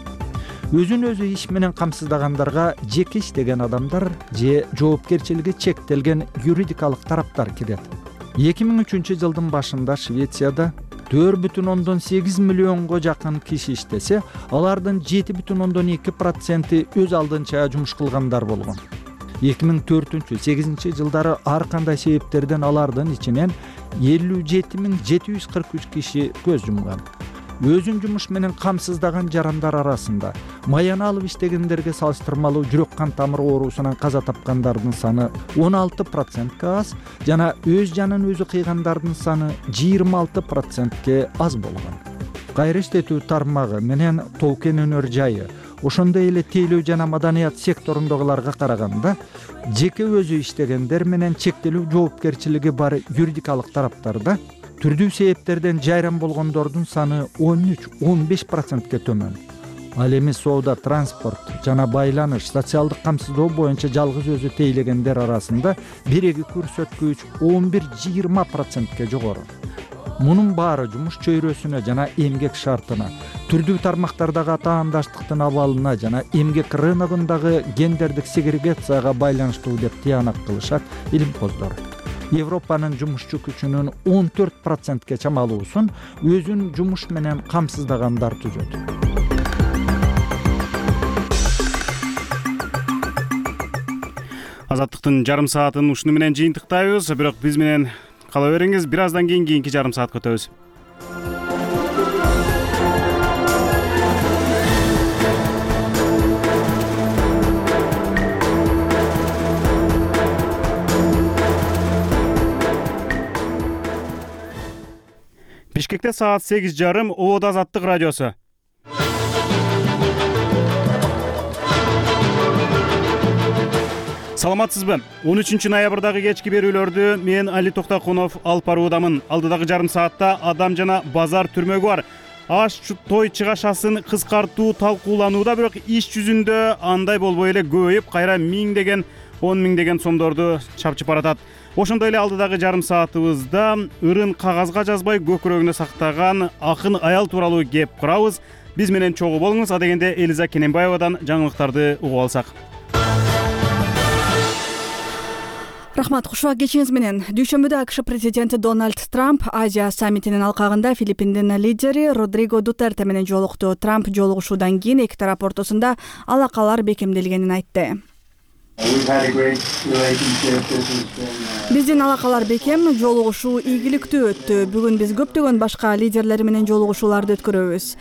Өзүн өзү иш менен камсыздагандарга жеке иштеген адамдар же жоопкерчилиги чектелген юридикалык тараптар кирет. 2003 жылдын башында Швецияда 4,8 миллионго жакын киши иштесе, алардын 7,2% өз алдынча жумуш кылгандар болгон. 2004-8 жылдары ар кандай себептерден алардын ичинен 57.743 киши көз жумган. Өзүн жумуш менен камсыздаган жарандар арасында маяны алып иштегендерге салыштырмалуу жүрөк кан тамыр оорусунан каза тапкандардын саны 16%га аз жана өз жанын өзү кыйгандардын саны 26%ге аз болгон. Кайра иштетүү тармагы менен тоо-кен өнөр жайы, ошондой эле тейлөө жана маданият секторундагыларга караганда, жеке өзү иштегендер менен чектелүү жоопкерчилиги бар юридикалык тараптарда түрдүү себептерден жайран болгондордун саны 13-15%ге төмөн. Ал эми соода, транспорт жана байланыш, социалдык камсыздоо боюнча жалгыз өзү тейлегендер арасында биреги көрсөткүч 11-20%ке жогору. Мунун баары жумуш чөйрөсүнө жана эмгек шартына, түрдүү тармактардагы атаандаштыктын абалына жана эмгек рыногундагы гендердик сегрегацияга байланыштуу деп тыянак кылышат илимпоздор. Европанын жумушчу күчүнүн 14%ке чамалуусун өзүн жумуш менен камсыздагандар түзөт. Азаттыктын жарым саатын ушуну менен жыйынтыктайбыз, бирок биз менен кала бериңиз. Бир аздан кийинки жарым саатка өтөбүз. Бишкекте саат 8:30, Ободо Азаттык радиосу. Саламатсызбы? 13 ноябрдагы кечки берүүлөрдү мен Али Токтакунов алып баруудамын. Алдыдагы жарым саатта адам жана базар түрмөгү бар. Аш той чыгашасын кыскартуу талкууланууда, бирок иш жүзүндө андай болбой эле көбөйүп, кайра 1000 10 миңдеген сомдорду чапчып баратат. Ошондой эле алдыдагы жарым саатыбызда ырын кагазга жазбай көкүрөгүнө сактаган акын аял тууралуу кеп курабыз. Биз менен чогуу болуңуз. Адегенде Элиза Кененбаевадан жаңылыктарды угуп алсак. Рахмат, кушубак кечиңиз менен. Дүйшөмбүдө АКШ президенти Дональд Трамп Азия саммитинин алкагында Филиппиндин лидери Родриго Дутерте менен жолукту. Трамп жолугушуудан кийин эки тарап ортосунда алакалар бекемделгенин айтты. Биздин алакалар бекем, жолугушуу ийгиликтүү өттү. Бүгүн биз көптөгөн башка лидерлер менен жолугушууларды өткөрөбүз.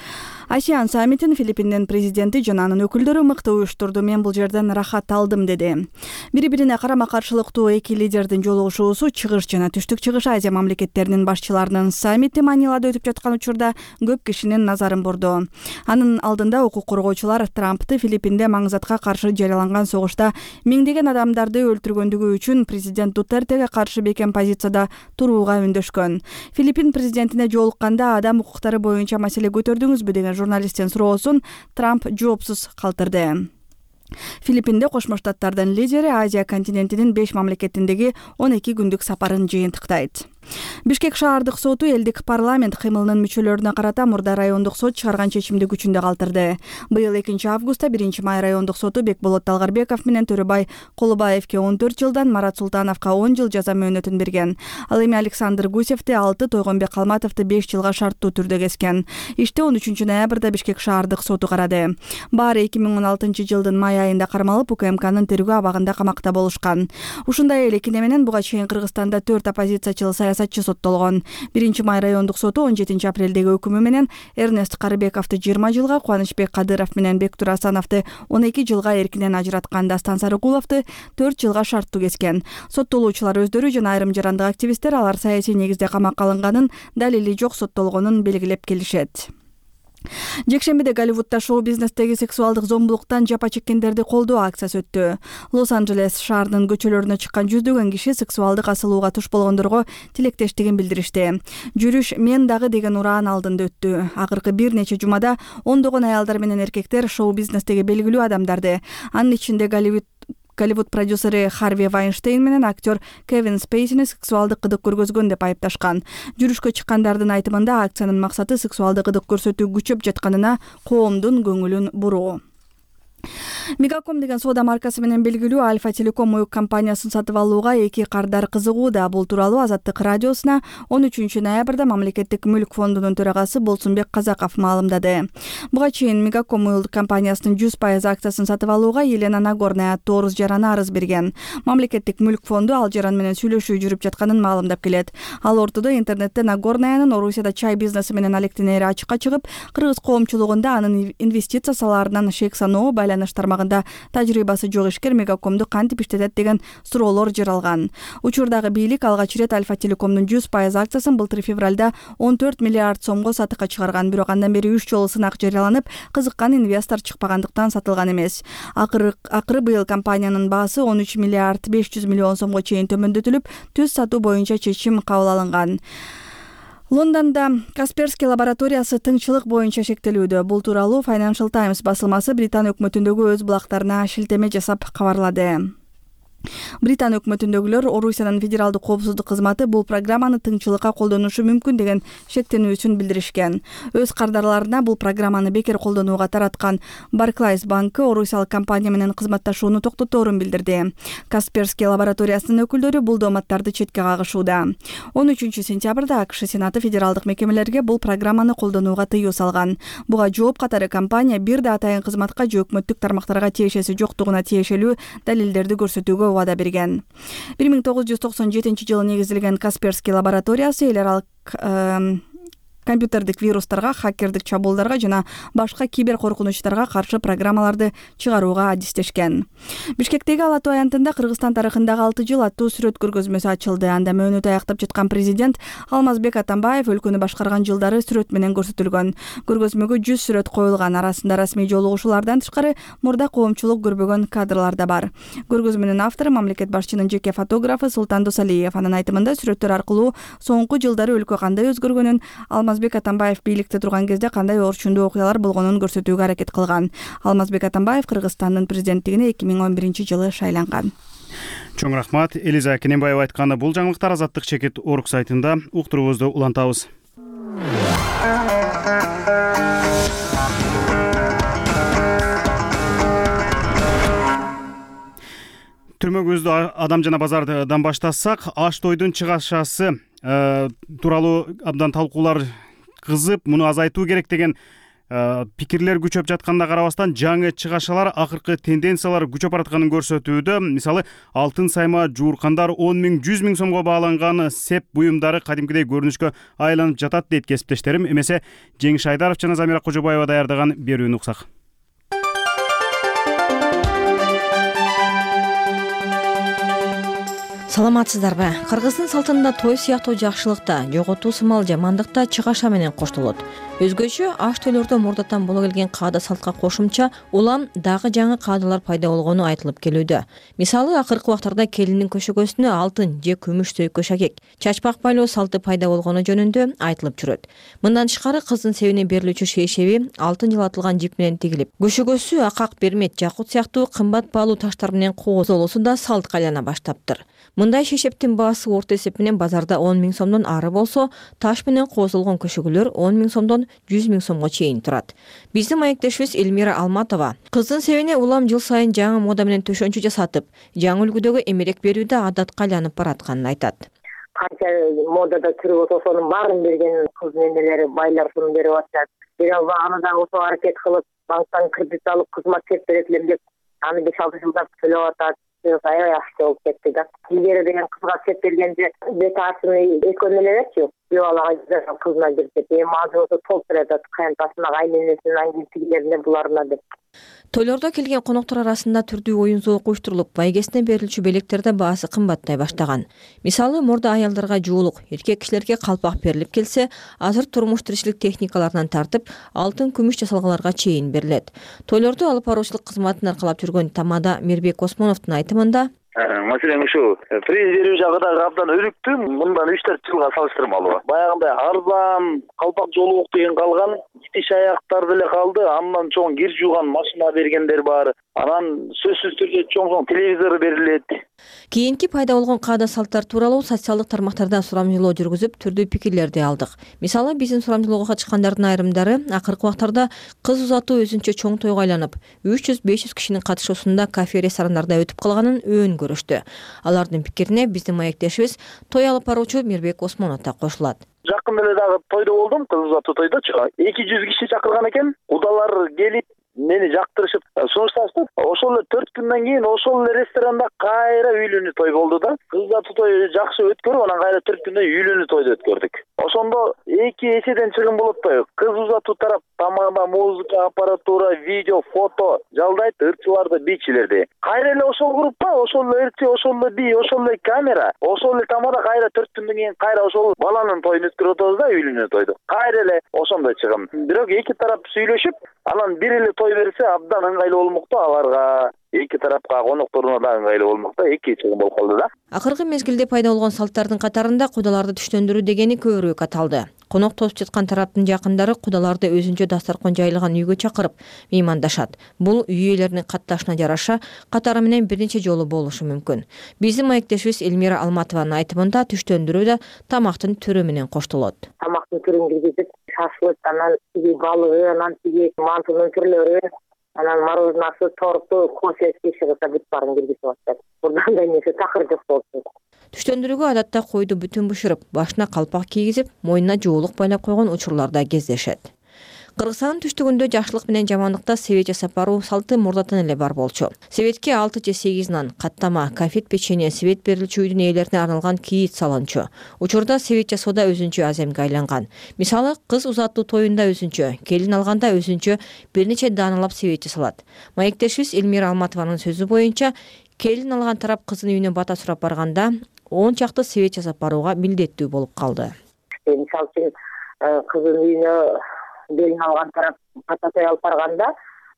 ASEAN саммитин Филиппиндин президенти жана анын өкүлдөрү мыкты уюштурду. Мен бул жерден рахат алдым, деди. Бири-бирине карама-каршылыктуу эки лидердин жолугушуусу чыгыш жана түштүк чыгыш Азия мамлекеттеринин башчыларынын саммити Манилада өтүп жаткан учурда көп кишинин назарын бурду. Анын алдында укук коргоочулар Трампты Филиппинде маңзатка каршы жарыяланган согушта миңдеген адамдарды өлтүргөндүгү үчүн президент Дутертеге каршы бекем позицияда турууга үндөшкөн. Филиппин президентине жолукканда адам укуктары боюнча маселе көтөрдүңүзбү деген журналисттин суроосун Трамп жоопсуз калтырды. Филиппинде Кошмо Штаттардын лидери Азия континентинин 5 мамлекетиндеги 12 күндүк сапарын жыйынтыктайт. Бишкек шаардык соту элдик парламент кыймылынын мүчөлөрүнө карата мурда райондук сот чыгарган чечимди күчүндө калтырды. Быйыл 2 августта 1 май райондук соту Бекболот Талгарбеков менен Төрөбай Колубаевке 14 жылдан, Марат Султановго 10 жыл жаза мөөнөтүн берген. Ал эми Александр Гусевди 6, Тойгонбек Калматовду 5 жылга шарттуу түрдө кескен. Ишти 13 ноябрда Бишкек шаардык соту карады. Баары 2016 жылдын май айында кармалып, УКМКнын тергөө абагында камакта болушкан. Ушундай эле кине менен буга чейин Кыргызстанда 4 оппозициячыл саясатчы соттолгон. 1 май райондук соту 17 апрелдеги өкүмү менен Эрнест Карыбековду 20 жылга, Кубанычбек Кадыров менен Бектур Асановду 12 жылга эркинен ажыраткан, Дастан Сарыкуловду 4 жылга шарттуу кескен. Соттолуучулар өздөрү жана айрым жарандык активисттер алар саясий негизде камакка алынганын, далили жок соттолгонун белгилеп келишет. Жекшембиде Голливудда шоу-бизнестеги сексуалдык зомбулуктан жапа чеккендерди колдоо акциясы өттү. Лос-Анджелес шаарынын көчөлөрүнө чыккан жүздөгөн киши сексуалдык асылууга туш болгондорго тилектештигин билдиришти. Жүрүш мен дагы деген ураан алдында өттү. Акыркы бир нече жумада ондогон аялдар менен эркектер шоу-бизнестеги белгилүү адамдарды, анын ичинде Голливуд продюсери Харви Вайнштейн менен актер Кевин Спейсини сексуалдык кыдык көргөзгөн деп айыпташкан. Жүрүшкө чыккандардын айтымында акциянын максаты сексуалдык кыдык көрсөтүү күчөп жатканына коомдун көңүлүн буруу. Мегаком деген соода маркасы менен белгилүү Альфа Телеком уюк компаниясын сатып алууга эки кардар кызыгууда. Бул тууралуу Азаттык радиосуна 13 ноябрда мамлекеттик мүлк фондунун төрагасы Болсунбек Казаков маалымдады. Буга чейин Мегаком уюк компаниясынын 100% акциясын сатып алууга Елена Нагорная Торус жарана арыз берген. Мамлекеттик мүлк фонду ал жаран менен сүйлөшүү жүрүп жатканын маалымдап келет. Ал ортодо интернетте Нагорнаянын Орусияда чай бизнеси менен алектенери ачыкка чыгып, кыргыз коомчулугунда анын инвестиция салаарынан шек саноо, байланыш тармагында тажрыйбасы жок ишкер Мегакомду кантип иштетет деген суроолор жаралган. Учурдагы бийлик алгач ирет Альфа Телекомдун 100% акциясын былтыр февралда 14 миллиард сомго сатыкка чыгарган, бирок андан бери 3 жолу сынак жарыяланып, кызыккан инвестор чыкпагандыктан сатылган эмес. Акыры быйыл компаниянын баасы 13 миллиард 500 миллион сомго чейин төмөндөтүлүп, түз сатуу боюнча чечим кабыл алынган. Лондондо Касперский лабораториясы тыңчылык боюнча шектелүүдө. Бул тууралуу Financial Times басылмасы Британ өкмөтүндөгү өз булактарына шилтеме жасап кабарлады. Британ өкмөтүндөгүлөр Орусиянын федералдык коопсуздук кызматы бул программаны тыңчылыкка колдонушу мүмкүн деген шектенүүсүн билдиришкен. Өз кардарларына бул программаны бекер колдонууга тараткан Barclays банкы орусиялык компания менен кызматташууну токтоторун билдирди. Касперский лабораториясынын өкүлдөрү бул дооматтарды четке кагышууда. 13-сентябрда АКШ Сенаты федералдык мекемелерге бул программаны колдонууга тыюу салган. Буга жооп катары компания бир да атайын кызматка же өкмөттүк тармактарга тиешеси жоктугуна тиешелүү далилдерди көрсөтүүгө убада берген. 1997-жылы негизилген Касперский лабораториясы эл аралык компьютердик вирустарга, хакердик чабуулдарга жана башка кибер коркунучтарга каршы программаларды чыгарууга адистешкен. Бишкектеги Ала Тоо аянтында Кыргызстан тарыхындагы 6 жыл аттуу сүрөт көргөзмөсү ачылды. Анда мөөнөтү аяктап жаткан президент Алмазбек Атамбаев өлкөнү башкарган жылдары сүрөт менен көрсөтүлгөн. Көргөзмөгө 100 сүрөт коюлган. Арасында расмий жолугушуулардан тышкары мурда коомчулук көрбөгөн кадрлар да бар. Көргөзмөнүн автору мамлекет башчынын жеке фотографы Султан Досалиев. Анын айтымында сүрөттөр аркылуу соңку жылдары өлкө кандай өзгөргөнүн, Алмазбек Атамбаев бийликте турган кезде кандай орчундуу окуялар болгонун көрсөтүүгө аракет кылган. Алмазбек Атамбаев Кыргызстандын президенттигине 2011-жылы шайланган. Чоң рахмат. Элиза Кененбаева айтканы. Бул жаңылыктар Азаттык чекит орг сайтында уктуруубузду улантабыз. Түрмөгүбүздү адам жана базардан баштасак, аш тойдун чыгашасы тууралуу абдан талкуулар кызып, муну азайтуу керек деген пикирлер күчөп жатканына карабастан, жаңы чыгашалар акыркы тенденциялар күчөп баратканын көрсөтүүдө. Мисалы, алтын сайма, жууркандар 10 миң, 100 миң сомго бааланган сеп буюмдары кадимкидей көрүнүшкө айланып жатат дейт кесиптештерим. Эмесе Жеңиш Айдаров жана Замира Кожобаева даярдаган берүүнү уксак. Саламатсыздарбы? Кыргыздын салтында той сыяктуу жакшылыкта, жоготуу сымал жамандыкта чыгаша менен коштолот. Өзгөчө аш тойлордо мурдатан боло келген каада салтка кошумча улам дагы жаңы каадалар пайда болгону айтылып келүүдө. Мисалы, акыркы убактарда келиндин көшөгөсүнө алтын же күмүш сөйкө шакек, чачпак байлоо салты пайда болгону жөнүндө айтылып жүрөт. Мындан тышкары кыздын себине берилүүчү шейшеби алтын жылатылган жип менен тигилип, көшөгөсү акак, бермет, жакут сыяктуу кымбат баалуу таштар менен кооздолуусу да салтка айлана баштаптыр. Мындай шейшептин баасы орто эсеп менен базарда 10 миң сомдон ары болсо, таш менен кооздолгон көшөгөлөр 10 миң сомдон 100 миң сомго чейин турат. Биздин маектешибиз Элмира Алматова кыздын себине улам жыл сайын жаңы мода менен төшөнчү жасатып, жаңы үлгүдөгү эмерек берүүдө адатка айланып баратканын айтат. Канча модада түрү болсо ошонун баарын берген кыз ненелери, байлар ушуну берип атышат. Бирок аны да ошо аракет кылып, банктан кредит алып, кызмат кеп берет элем деп, аны 5-6 жылдап төлөп атат. Аябай акча болуп кетти да. Илгери деген кызга сеп бергенде бет артын экөө элечи, балага кызына берет. Эми азыр болсо толуп берет, кайынтасына, кайненесине, аңгилтигилерине, буларына деп. Тойлордо келген коноктор арасында түрдүү оюн-зоок уюштурулуп, байгесине берилчү белектерде баасы кымбаттай баштаган. Мисалы, мурда аялдарга жуулук, эркек кишилерге калпак берилип келсе, азыр турмуш тиричилик техникаларынан тартып, алтын, күмүш жасалгаларга чейин берилет. Тойлордо алып баруучулук кызматын аркалап жүргөн Тамада Мирбек Осмоновдун айтымында маселен ушу приз берүү жагы да абдан өнүктү. Мындан 3-4 жылга салыштырмалуу. Баягындай арзан калпак жолук деген калган, итиш аяктар деле калды. Андан чоң кир жууган машина бергендер бар. Анан сөзсүз түрдө чоң телевизор берилет. Кийинки пайда болгон каада салттар тууралуу социалдык тармактардан сурамжылоо жүргүзүп, түрдүү пикирлерди алдык. Мисалы, биздин сурамжылоого катышкандардын айрымдары акыркы убактарда кыз узатуу өзүнчө чоң тойго айланып, 300-500 кишинин катышуусунда кафе, ресторандарда өтүп калганын өөн көрүштү. Алардын пикирине биздин маектешибиз той алып баруучу Мирбек Осмонов да кошулат. Жакында эле дагы тойдо болдум, кыз узатуу тойдочу. 200 киши чакырган экен. Кудалар келип мени жактырышып сунушташты. Ошол эле 4 күндөн кийин ошол эле ресторанда кайра үйлөнүү той болду да. Кыз узатуу той жакшы өткөрүп, анан кайра 4 күндөн үйлөнүү тойду өткөрдүк. Ошондо эки эседен чыгым болот той. Кыз узатуу тарап тамагына музыка, аппаратура, видео, фото жалдайт, ырчыларды, бийчилерди. Кайра эле ошол группа, ошол эле ырчы, ошол эле бий, ошол эле камера, ошол эле тамада кайра 4 күндөн кийин кайра ошол баланын тоюн өткөрүп атабыз да, үйлөнүү тойду. Кайра эле ошондой чыгым. Бирок эки тарап сүйлөшүп, анан бир эле той берсе абдан ыңгайлуу болмокто аларга, эки тарапка, конокторуна да ыңгайлуу болмокто, эки чыгым болуп калды да. Акыркы мезгилде пайда болгон салттардын катарында кудаларды түштөндүрүү дегени көбүрөөк аталды. конок тосуп жаткан тараптын жакындары кудаларды өзүнчө дасторкон жайылган үйгө чакырып меймандашат. Бул үй ээлеринин катташына жараша катары менен бир нече жолу болушу мүмкүн. Биздин маектешибиз Элмира Алматованын айтымында түштөндүрүү да тамактын түрү менен коштолот. Тамактын түрүн киргизип, шашлык, анан тиги балыгы, анан тиги мантунун түрлөрү, анан мороженасы, торту, кофеси чыгыса бүт баарын киргизип атат. Бурдан да эмесе такыр жок болчу. Түштөндүрүүгө адатта койду бүтүн бышырып, башына калпак кийгизип, мойнуна жоолук байлап койгон учурлар да кездешет. Кыргызстандын түштүгүндө жакшылык менен жамандыкта себет жасап баруу салты мурдатан эле бар болчу. Себетке 6 же 8 нан, каттама, конфет, печенье, себет берилчү үйдүн ээлерине арналган кийит салынчу. Учурда себет жасоодо өзүнчө аземге айланган. Мисалы, кыз узатуу тоюнда өзүнчө, келин алганда өзүнчө бир нече дааналап себет жасалат. Маектешибиз Элмира Алматованын сөзү боюнча, келин алган тарап кыздын үйүнө бата сурап барганда 10 чакты себет жасап барууга милдеттүү болуп калды. Мисалы үчүн кыздын үйүнө келин алган тарап бата алып барганда,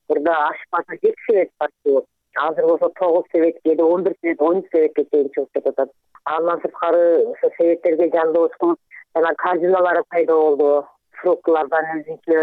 бурда ашпаса 7 себет барчу. Азыр болсо 9 себетке, 11 себет, 13 себетке чейин чыгып кетет. Андан сырткары ошо себеттерге жандооч кылып, жана корзиналары пайда болду. Фруктlardan өзүнчө,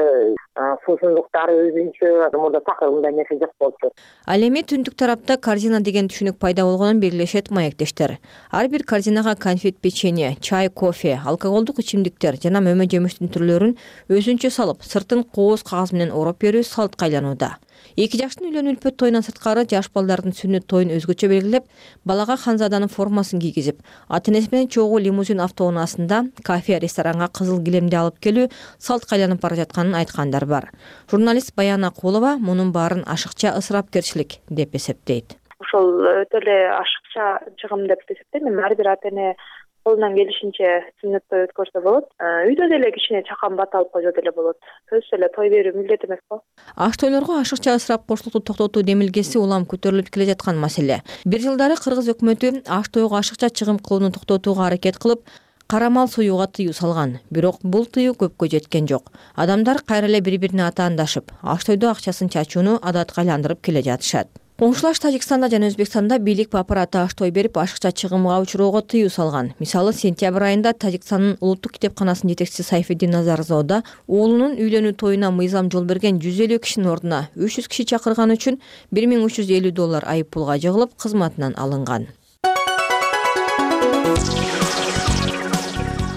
суусундуктары өзүнчө, мурда такыр мындай нерсе жок болчу. Ал эми түндүк тарапта корзина деген түшүнүк пайда болгонун белгилешет маектештер. Ар бир корзинага конфет, печенье, чай, кофе, алкоголдук ичимдиктер жана мөмө жемиштин түрлөрүн өзүнчө салып, сыртын кооз кагаз менен ороп берүү салтка айланууда. Эки жаштын үйлөнүү үлпөт тоюнан сырткары жаш балдардын сүннөт тоюн өзгөчө белгилеп, балага ханзаданын формасын кийгизип, ата-энеси менен чогуу лимузин автоунаасында кафе, ресторанга кызыл килемди алып келүү салтка айланып бара жатканын айткандар бар. Журналист Баян Акулова мунун баарын ашыкча ысырапкерчилик деп эсептейт. Ошол өтө эле ашыкча чыгым деп эсептейм. Ар бир ата-эне колунан келишинче сүннөт той өткөрсө болот. Үйдө деле кичине чакан бата алып койсо деле болот. Сөзсүз эле той берүү милдет эмеспи? Аш тойлорго ашыкча ысырап коштукту токтотуу демилгеси улам көтөрүлүп келе жаткан маселе. Бир жылдары Кыргыз өкмөтү аш тойго ашыкча чыгым кылууну токтотууга аракет кылып, кара мал союуга тыюу салган. Бирок бул тыюу көпкө жеткен жок. Адамдар кайра эле бири-бирине атаандашып, аш тойдо акчасын чачууну адатка айландырып келе жатышат. Коңшулаш Тажикстанда жана Өзбекстанда бийлик папараты аш той берип, ашыкча чыгымга учуроого тыюу салган. Мисалы, сентябрь айында Тажикстандын улуттук китепканасынын жетекчиси Сайфиддин Назарзода уулунун үйлөнүү тоюна мыйзам жол берген 150 кишинин ордуна 300 киши чакырганы үчүн $1350 айып пулга жыгылып, кызматынан алынган.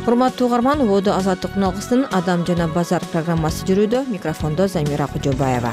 Урматтуу угарман, убоду Азаттык алгысынын Адам жана базар программасы жүрүүдө. Микрофондо Замира Кожобаева.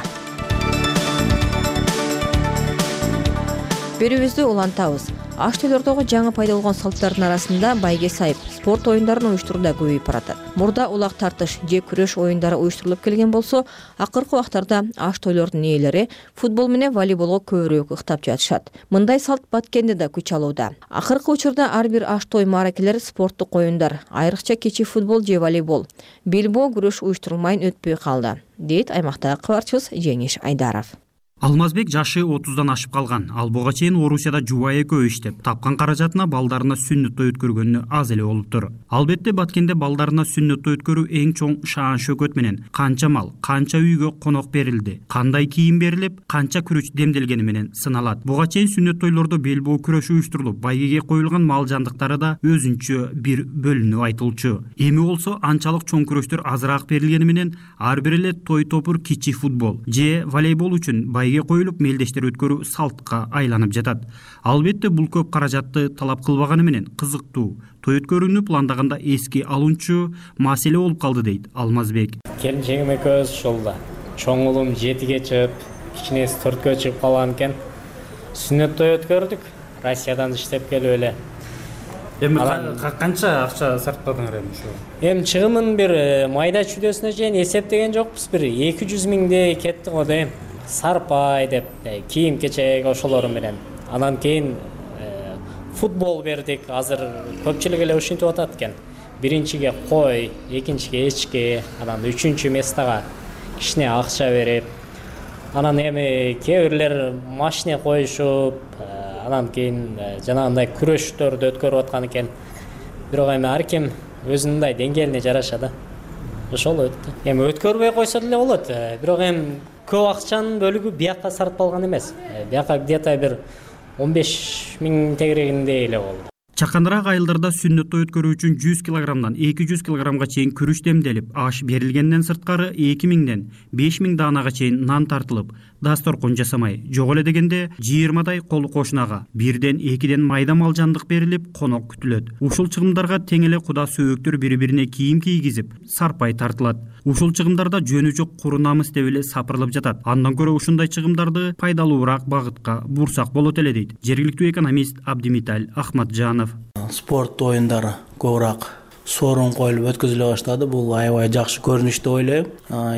Берүүбүздү улантабыз. Аш тойлордогу жаңы пайда болгон салттардын арасында байге сайып, спорт оюндарын уюштуруу да көбөйүп баратат. Мурда улак тартыш же күрөш оюндары уюштурулуп келген болсо, акыркы убактарда аш тойлордун ээлери футбол менен волейболго көбүрөөк ыктап жатышат. Мындай салт Баткенде да күч алууда. Акыркы учурда ар бир аш той мааракелер спорттук оюндар, айрыкча кечи футбол же волейбол, билбоо күрөш уюштурулмай өтпөй калды, дейт аймактагы кабарчыбыз Жеңиш Айдаров. Алмазбек жашы 30дан ашып калган. Ал буга чейин Орусияда жубайы экөө иштеп, тапкан каражатына балдарына сүннөт той өткөргөнү аз эле болуптур. Албетте Баткенде балдарына сүннөт той өткөрүү эң чоң шаан шөкөт менен канча мал, канча үйгө конок берилди, кандай кийим берилип, канча күрөч демделгени менен сыналат. Буга чейин сүннөт тойлордо белбоо күрөшү уюштурулуп, байгеге коюлган мал жандыктары да өзүнчө бир бөлүнүп айтылчу. Эми болсо анчалык чоң күрөчтөр азыраак берилгени менен ар бир эле той топур кичи футбол же волейбол үчүн коюлуп мелдештер өткөрүү салтка айланып жатат. Албетте бул көп каражатты талап кылбаганы менен кызыктуу той өткөрүүнү пландаганда эске алынчу маселе болуп калды, дейт Алмазбек. Келинчегим экөөбүз ошол чоң уулум 7ге чыгып, кичинеси 4кө чыгып калган экен. Сүннөт той өткөрдүк. Россиядан иштеп келип эле. Эми канча акча сарптадыңар эми ушу? Эми чыгымын бир майда чүдөсүнө чейин эсептеген жокпуз, бир 200 миңдей кетти го дейм. Сарпай деп, кийим кечек ошолору менен. Анан кийин футбол бердик. Азыр көпчүлүк эле ушинтип атат экен. Биринчиге кой, экинчиге эчки, анан үчүнчү местага кичине акча берип, анан эми кээ бирлер машина коюшуп, анан кийин жанагындай күрөштөрдү өткөрүп аткан экен. Бирок эми ар ким өзүнүн мындай деңгээлине жараша да. Ошол өттү. Эми өткөрбөй койсо деле болот. Бирок эми көп акчанын бөлүгү бияка сарпталган эмес. Бияка где-то бир 15 миң тегерегиндей эле болду. Чаканыраак айылдарда сүннөт той өткөрүү үчүн 100 килограммдан 200 килограммга чейин күрүч демделип, аш берилгенден сырткары 2000ден 5000 даанага чейин нан тартылып, дасторкон жасамай, жок эле дегенде 20дай кол кошунага, 1ден 2ден майда мал жандык берилип, конок күтүлөт. Ушул чыгымдарга тең эле куда сөөктөр бири-бирине кийим кийгизип, сарпай тартылат. Ушул чыгымдарда жөнү жок куру намыс деп эле сапырылып жатат. Андан көрө ушундай чыгымдарды пайдалуураак багытка бурсак болот эле дейт жергиликтүү экономист Абдимиталь Ахматжанов. Спорт оюндары көбүрөөк сорун коюлуп өткөзүлө баштады. Бул аябай жакшы көрүнүш деп ойлойм.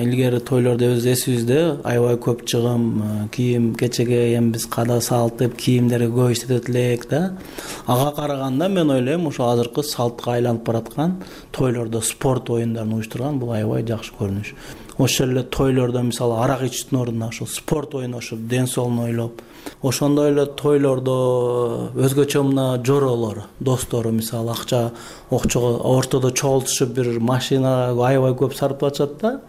Илгери тойлордо өз эсибизде аябай көп чыгым, кийим кечеге эми биз када салтып, кийимдерди көп иштетет элек да. Ага караганда мен ойлойм, ошо азыркы салтка айланып бараткан тойлордо спорт оюндарын уюштурган бул аябай жакшы көрүнүш. Ошол эле тойлордо мисалы арак ичүүнүн ордуна ошо спорт ойношуп, ден соолугун ойлоп, ошондой эле тойлордо өзгөчө мына жороолор, достору мисалы акча окчого ортодо чогултушуп бир машинага аябай көп сарпташат да.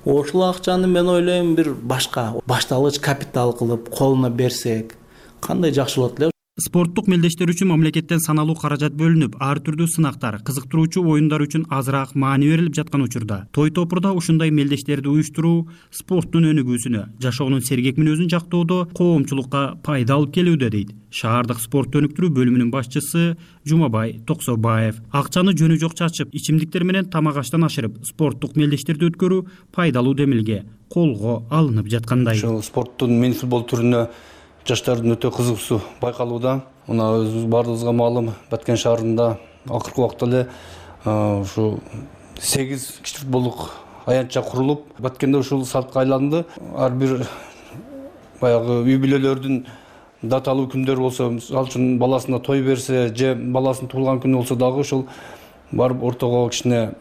Ошол акчаны мен ойлойм бир башка башталгыч капитал кылып колуна берсек, кандай жакшы болот эле. Спорттук мелдештер үчүн мамлекеттен саналуу каражат бөлүнүп, ар түрдүү сынактар, кызыктыруучу оюндар үчүн азыраак маани берилип жаткан учурда той топурда ушундай мелдештерди уюштуруу спорттун өнүгүүсүнө, жашоонун сергек мүнөзүн жактоодо коомчулукка пайда алып келүүдө дейт шаардык спортту өнүктүрүү бөлүмүнүн башчысы Жумабай Токсобаев. Акчаны жөнү жок чачып, ичимдиктер менен тамак аштан ашырып, спорттук мелдештерди өткөрүү пайдалуу демилге колго алынып жаткандай. Ошол спорттун мини футбол түрүнө жаштардын өтө кызыгуусу байкалууда. Мына өзүбүз баардыгыбызга маалым, Баткен шаарында акыркы убакта эле ушу 8 кичи футболдук аянтча курулуп, Баткенде ушул салтка айланды. Ар бир баягы үй бүлөлөрдүн даталуу күндөрү болсо, мисалы үчүн баласына той берсе, же баласынын туулган күнү болсо дагы ушул барып ортого кичине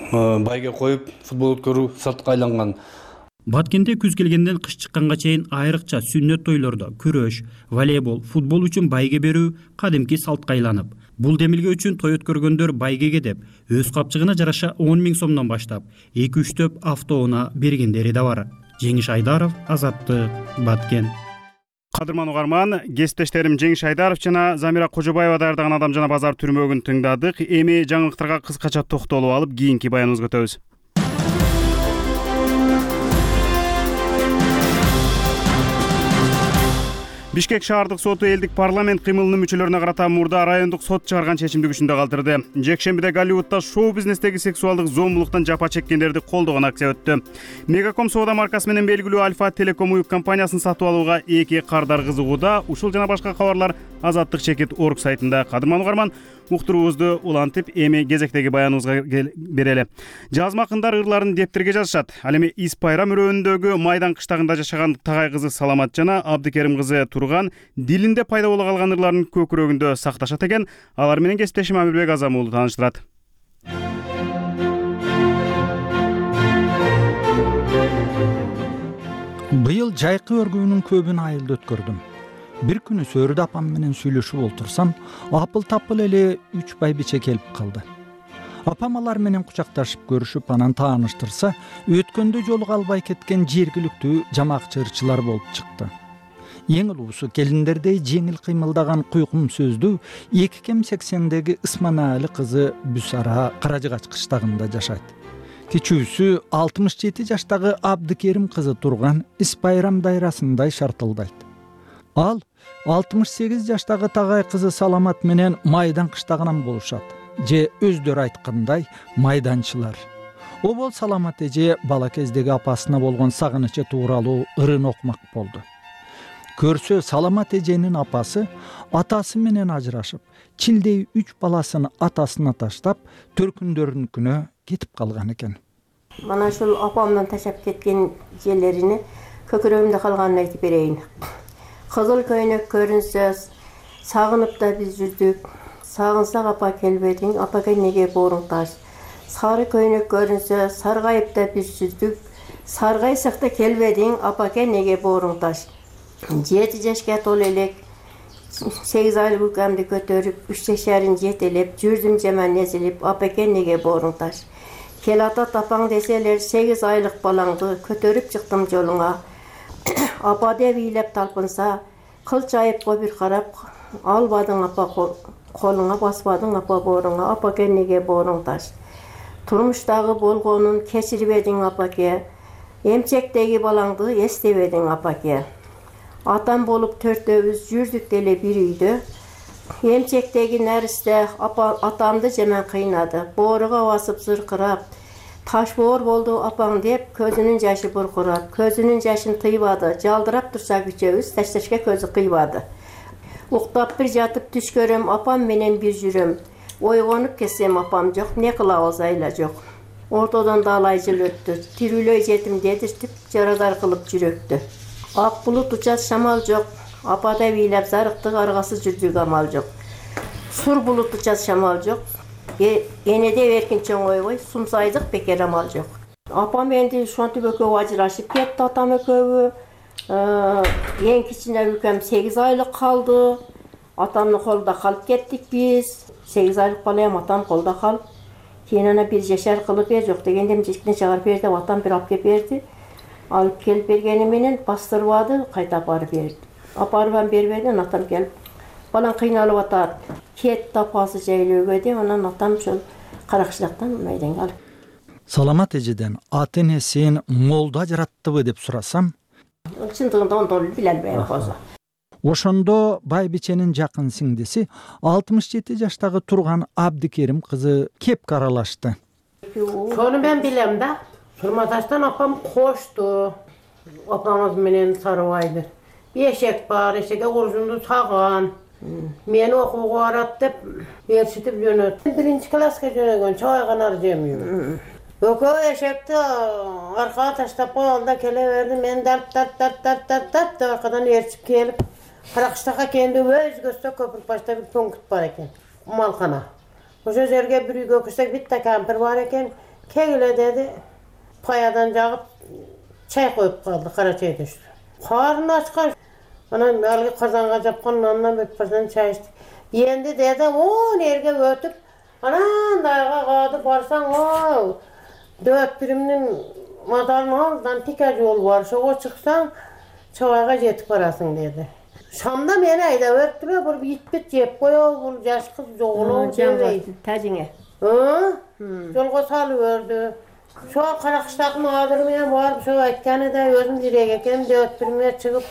байге коюп футбол өткөрүү салтка айланган. Баткенде күз келгенден кыш чыкканга чейин айрыкча сүннөт тойлордо күрөш, волейбол, футбол үчүн байге берүү кадимки салтка айланып, бул демилге үчүн той өткөргөндөр байгеге деп өз капчыгына жараша 10 000 сомдон баштап 2-3 төп автоунаа бергендери да бар. Жеңиш Айдаров, Азаттык, Баткен. Кадырман угарман, кесиптештерим Жеңиш Айдаров жана Замира Кожобаева даярдаган Адам жана базар түрмөгүн тыңдадык. Эми жаңылыктарга кыскача токтолуп алып, кийинки баяныбызга өтөбүз. Бишкек шаардык соту элдик парламент кыймылынын мүчөлөрүнө карата мурда райондук сот чыгарган чечимди күчүндө калтырды. Жекшембиде Голливудда шоу бизнестеги сексуалдык зомбулуктан жапа чеккендерди колдогон акция өттү. Мегаком соода маркасы менен белгилүү Альфа Телеком уюк компаниясын сатып алууга эки кардар кызыгууда. Ушул жана башка кабарлар Азаттык чекит орг сайтында. Кадырман угарман, уктуруубузду улантып, эми кезектеги баяныбызга берели. Жазма акындар ырларын дептерге жазышат. Ал эми Ис Пайрам өрөөнүндөгү Майдан кыштагында жашаган Тагай кызы Саламат жана Абдыкерим кызы Турган дилинде пайда боло калган ырларын көкүрөгүндө сакташат экен. Алар менен кесиптешим Амирбек Азам уулу тааныштырат. Быйыл жайкы өргүүнүн көбүн айылда өткөрдүм. Бир күнү Сөрүдө апам менен сүйлөшүп отурсам, апыл-тапыл эле 3 байбиче келип калды. Апам алар менен кучакташып көрүшүп, анан тааныштырса, өткөндө жолуга албай кеткен жергиликтүү жамакчы ырчылар болуп чыкты. Эң улуусу келиндердей жеңил кыймылдаган куйкум сөздүү 2Кем80деги Ысманаали кызы Бүсара Каражыгач кыштагында жашайт. Кичүүсү 67 жаштагы Абдыкерим кызы Турган Ис Пайрам дайрасындай шартылдайт. Ал 68 жаштагы Тагай кызы Саламат менен Майдан кыштагынан болушат. Же өздөрү айткандай майданчылар. Обол Саламат эже бала кездеги апасына болгон сагынычы тууралуу ырын окумак болду. Көрсө Саламат эженин апасы атасы менен ажырашып, чилдей 3 баласын атасына таштап, төркүндөрүнүкүнө кетип калган экен. Мана ушул апамдан ташап кеткен жерлерини көкүрөгүмдө калганын айтып берейин. Кызыл көйнөк көрүнсө, сагынып да биз жүрдүк. Сагынсак апа келбедиң, апага неге бооруң таш. Сары көйнөк көрүнсө, саргайып да биз жүрдүк. Саргайсак да келбедиң, апага неге бооруң таш. 7 жашка толо элек 8 айлык укамды көтөрүп, 3 жашарын жетелеп, жүрдүм жаман эзилип, апага неге бооруң таш. Кел ата тапаң деселер, 8 айлык балаңды көтөрүп чыктым жолуңа. Апа деп ыйлап талпынса, кыл чайып бир карап, албадың апа колуңа, баспадың апа бооруңа, апаке неге бооруң таш. Турмуштагы болгонун кечирбедиң апаке, эмчектеги балаңды эстебедиң апаке. Атам болуп төртөөбүз жүрдүк деле бир үйдө. Эмчектеги нәристе атамды жемен кыйнады. Бооруга басып зыркырап, таш боор болду апаң деп, көзүнүн жашы буркурап, көзүнүн жашын тыйбады. Жалдырап турса күчөбүз, ташташка көзү кыйбады. Уктап бир жатып түш көрөм, апам менен бир жүрөм. Ойгонуп кетсем апам жок, не кылабыз айла жок. Ортодон далай жыл өттү, тирүүлөй жетим дедиртип, жарадар кылып жүрөктү. Ак булут учат шамал жок, апада бийлеп зарыктык, аргасы жүрдүк амал жок. Сур булут учат шамал жок, энеде эркин чоңойбой, сумсайдык бекер амал жок. Апам энди ушинтип экөө ажырашып кетти, атам экөө. Эң кичине өлкөм 8 айлык калды. Атамдын колунда калып кеттик биз. 8 айлык балам атам колунда калып. Кийин ана бир жашар кылып бер, жок дегенде эмчектен чыгарып бер деп атам бир алып келип берди. Алып келип бергени менен бастырбады, кайта апарып берди. Апарып бербеден атам келип, балаң кыйналып атат, кет апасы жайлөөгө деп, анан атам ошол Каракчылактан майданга алып. Саламат эжеден ата энесин молдо ажыраттыбы деп сурасам, чындыгында ондон биле албайм козу. Ошондо байбиченин жакын сиңдиси 67 жаштагы Турган Абдикерим кызы кепке аралашты. Сону мен билем да. Сурматаштан апам кошту. Апамыз менен Сарыбайды. Эшек бар, эшекке куржунду саган. Мени окууга барат деп ээрчитип жөнөттү. 1-класска жөнөгөн чайганар жемейм. Экөө эшекти аркага таштап алда келе берди. Мен дарт деп аркадан ээрчип келип, Каракчылакка келди. Өзгөстө көпүрк башта бир пункт бар экен. Малкана. Ошо жерге bir үйгө кирсек битте кампир бар экен. Кегиле деди. Паядан жагып чай коюп калды, кара чай түштү. Карны ачкан. Анан алгы казанга жапкан нандан бет башынан чай ичти. Энди деди, о, нерге өтүп, анан дайга кады барсаң, о, дөт биримдин маталын алдан тике жол бар, ошого чыксаң, чабайга жетип барасың деди. Шамда мени айдап өттүлө, бул итпит жеп коёбу, бул жаш кыз жоголобу дебейди. Тажиңе. Жолго салып өрдү. Шо Каракчылактын адыры менен барып, шо айтканы да өзүм жүрөк экен, дөт бириме чыгып,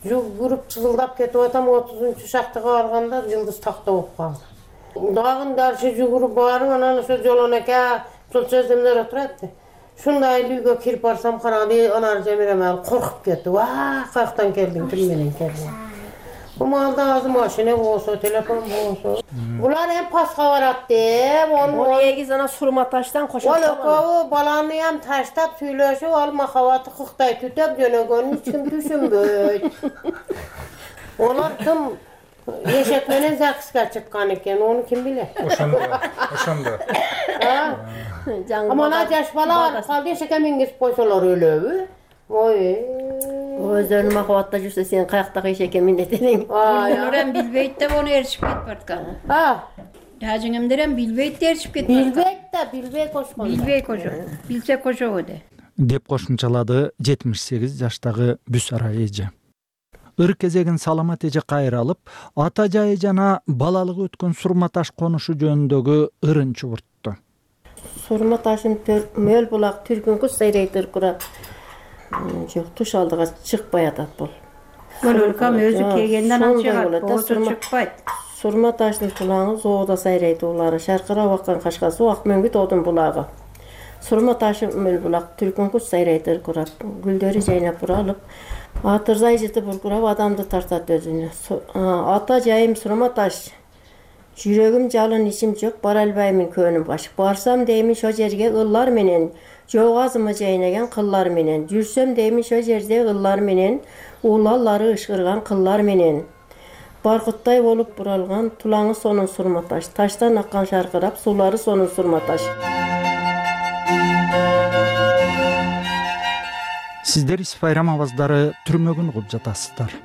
жүгүрүп чызылдап кетип атам, 30-шактыга барганда жылдыз такта болуп калды. Дагы даршы жүгүрүп барып, анан ошо жолонеке ушул сөздөмдөр отурат. Шундай үйгө кирип барсам, карады, анар жемирем коркуп кетти. Ва, каяктан келдиң, ким менен келдиң? Bu malda azı maşine bolsa, telefon bolsa. Bular hem paska barat deyip, onu egiz ana Surmataştan koşup o balanı hem taştap süylöşüp, alma havatı kıktay tütep jönögönün hiç kim düşünböy. Olar kim eşekmenen zakıska çıkkan eken, onu kim bilir? Oşonda. Ama ona yaş bala var, kaldı eşeke mingiz koysalar ölöbü. Oy. Özlerini makavatda жүрсе сен каяктагы эшекке миндет элең. Нурам билбейт деп onu эрчип кетип барткан. Тажиңемдерем билбейт деп эрчип кетип барткан. Билбей кошкон. Билбей кошо. Билсе кошобу де. Деп кошумчалады 78 жаштагы Бүсара эже. Ыр кезегин Саламат эже кайра алып, ата жайы жана балалыгы өткөн Сурматаш конушу жөнүндөгү ырын чубуртту. Сурматашын мөл булак түркүн кыз сайрайтыр кура. Жок, туш алдыга чыкпай атат бул. Бул өлкөм өзү келгенден чыгат, болсо чыкпайт. Сурматаштын тулаңы зоодо сайрайт улары, шаркырап аккан кашкасы Акмөңгүт одун булагы. Сурматашы мөл булак түркүн кыз сайрайтыр курап, гүлдөрү жайнап буралып, атырзай жыты буркурап адамды тартат өзүнө. Ата жайым Сурматаш. Жүрөгүм жалын ичим жок, бара албаймын көнүм баш. Барсам деймин шо жерге ыллар менен, жок азымы жайнаган кыллар менен. Жүрсөм деймин шо жерде ыллар менен, улалары ышкырган кыллар менен. Баркыттай болуп буралган тулаңы сонун Сурматаш. Таштан аккан шаркырап, суулары сонун Сурматаш. Сиздер Исфайрам аваздары түрмөгүн угуп жатасыздар.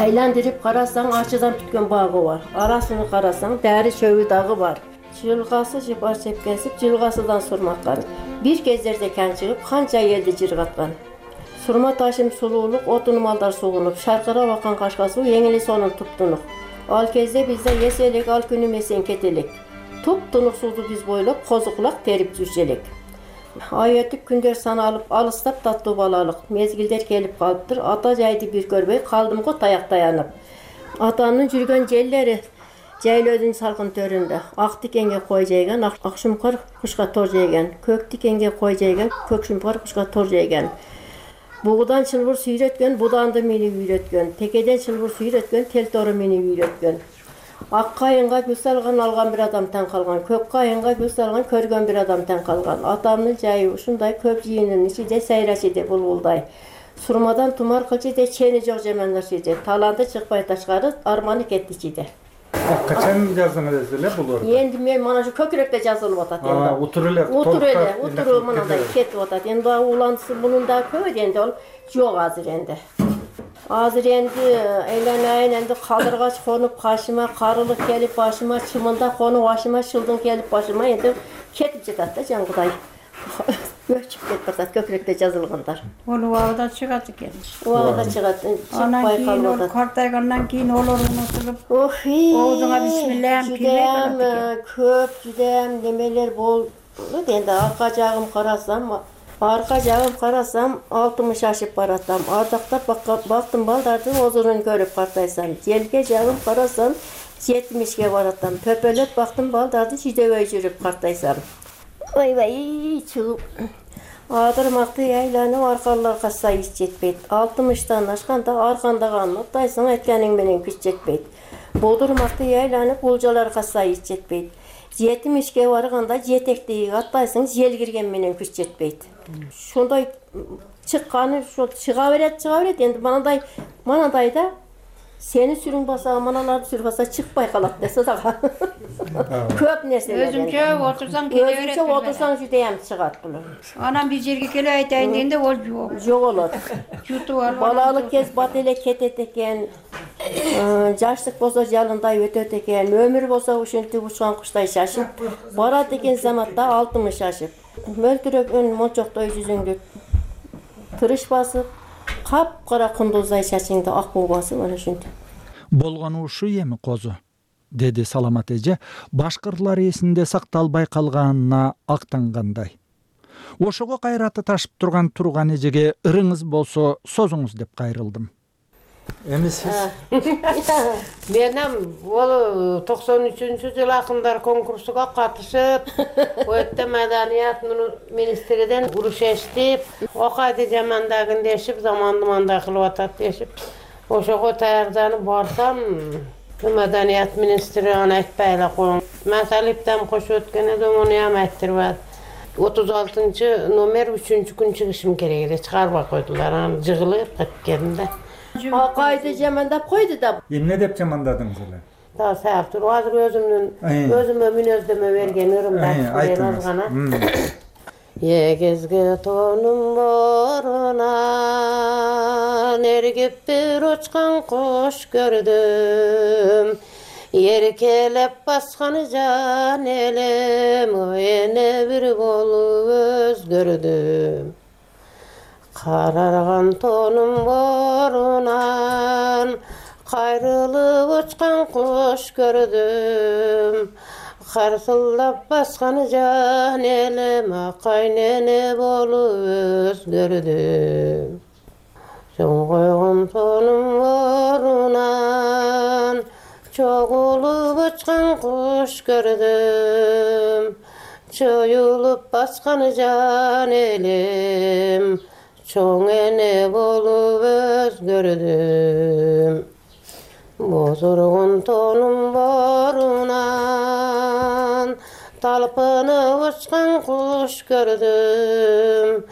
Айландырып карасаң, ачыдан бүткөн багы бар. Арасыны карасаң, дәри чөбү дагы бар. Жылгасы жыпар чепкесип, жылгасыдан сурматкан. Бир кездерде кан чыгып, канча элди жыргаткан. Surma taşım sululuk, otunu malдар suğunup, şarkıra bakan kaşka su, yengili sonun tuptunuk. Al kezde bizde yeselek, al günü mesen ketelek. Tuptunuk sudu biz boylap, kozukulak terip жүрчелек. Ay ötüp күндөр саналып, алыстап таттуу балалык. Мезгилдер келип калыптыр, ата жайды бир көрбөй, калдым го таяк таянып. Атамдын жүргөн жерлери жайлоодун салкын төрүндө. Ак тикенге кой жайган, ак шумкар кушка тор жайган. Көк тикенге кой жайган, көк шумкар кушка тор жайган. Бугудан чылбыр сүйрөткөн, буданды мени үйрөткөн. Текеден чылбыр сүйрөткөн, тел тору мени үйрөткөн. Ак кайынга күз салган, алган бир адам таң калган. Көк кайынга күз салган, көргөн бир адам таң калган. Атамдын жайы ушундай, көп жыйынын ичиде сайрашиде булбулдай. Сурмадан тумар кылчыде, чени жок жаманлашиде. Таланты чыкпай ташкары, арманы кетти ичиде. Качан жаздыңыз эле булар? Энди мен мана ушу көкүрөктө жазылып атат энди. Утур эле. Утуру мындай кетип атат. Энди уланысы мунун да көп энди ол жок азыр энди. Азыр энди эйланайын энди калдыргач конуп кашыма, карылык келип башыма, чымында конуп башыма, шылдың келип башыма энди кетип жатат да жаңгыдай. Өчүп кетип атат көкүрөктө жазылгандар. Ол убагында чыгат экен. Убагында чыгат. Чыкпай калып атат. Картайгандан кийин олор унутулуп, оозуңа бисмиллахим кирбей калат экен. Көп жүдем немелер болду. Энди арка жагым карасам 60 ашып баратам. Ардактап бактым балдардын озурун көрүп картайсам. Желге жагым карасам 70ге баратам. Төпөлөп бактым балдарды жидебей жүрүп картайсам. Ойбай, чыгып. Адырмакты айланып аркаларга сайыс жетпейт. 60тан ашканда аркандаган атайсың, айтканың менен күч жетпейт. Бодурмакты айланып булжаларга сайыс жетпейт. 70ге барганда жетектеги аттайсың, жел кирген менен күч жетпейт. Шундай чыкканы ошо чыга берет. Энди манандай да сени сүрүң баса, маналарды сүрүп баса чыкпай калат десе дагы. Көп нерселер. Өзүмчө отурсаң келе берет. Өзүмчө отурсаң жудем чыгат булар. Анан бир жерге келе айтайын дегенде ол жок. Жоголот. Жутуп алып. Балалык кез бат эле кетет экен. Жаштык болсо жалындай өтөт экен. Өмүр болсо ушинтип учкан куштай шашып барат экен заматта 60 ашып. Мөлтүрөгөн мончоктой жүзүңдү тырыш басып, капкара кундуздай чачыңды ак буу басып ana ушинтип. Болгону ушу эми козу, деди Саламат эже, башкырлар эсинде сакталбай калганына актангандай. Ошого кайраты ташып турган эжеге ырыңыз болсо созуңуз деп кайрылдым. Эми сиз? Менем ол 93-жыл акындар конкурсуга катышып, өтө маданият министриден уруш эстип, окайды жамандагын дешип, заманды мандай кылып атат дешип, ошого таярданып барсам, маданият министри аны айтпай эле коюң. Масалиптен кошуп өткөн эдим, муну ham айттырбады. 36-номер 3-күн чыгышым керек эле, чыгарбай койдулар. Аны жыгылып кеткеним да. Акайды жамандап койду да. Эмне деп жамандадыңыз эле? Да, саап туруп, азыр өзүмө мүнөздөмө берген ырымдар азгана. Егизге тонум борунан эргип бир учкан кош көрдүм. Еркелеп басканы жан элем, эне бир болуп өзгөрдүм. Карарган тонум борунан кайрылып учкан кош көрдүм. Карсылдап басканы жан элем, акайнене болуп өзгөрдүм. Чоң койгон тонум борунан чогулуп учкан кош көрдүм. Чоюлуп басканы жан элем, чоң эне болуп өзгөрдүм. Бозоргон тонум борунан талпынып учкан кош көрдүм.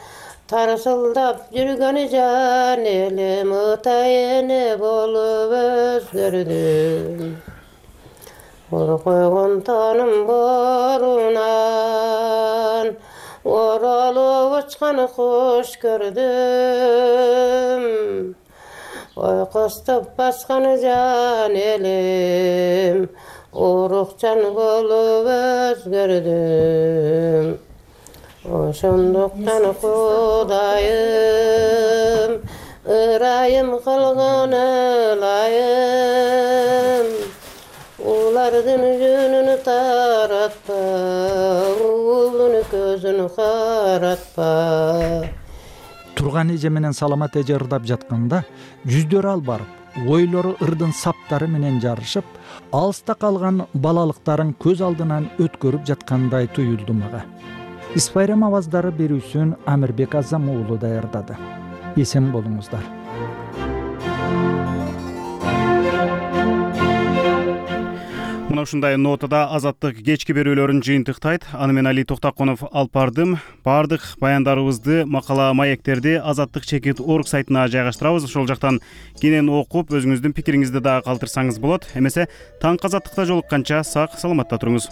Тарсылдап жүргөнү жан элем, ытай эне болуп өзгөрдүм. Ор койгон тонум борунан оролуп учкан кош көрдүм. Ойкоступ басканы жан элем, урукчан болуп өзгөрдүм. Ошондуктан Кудайым ырайым кылган ылайым, улардын жүнүн таратпа, уулдун көзүн каратпа. Турган эже менен Саламат эже ырдап жатканда жүздөрү ал барып, ойлору ырдын саптары менен жарышып, алыста калган балалыктарын көз алдынан өткөрүп жаткандай туюлду мага. Исбайрам аваздары берүүсүн Амирбек Азам уулу даярдады. Эсен болуңуздар. Мына ушундай нотада Азаттык кечки берүүлөрүн жыйынтыктайт. Аны мен Али Токтоконов алып бардым. Бардык баяндарыбызды, макала маектерди Азаттык.org сайтына жайгаштырабыз. Ошол жактан кенен окуп, өзүңүздүн пикириңизди дагы калтырсаңыз болот. Эмесе таңкы Азаттыкта жолукканча сак саламатта туруңуз.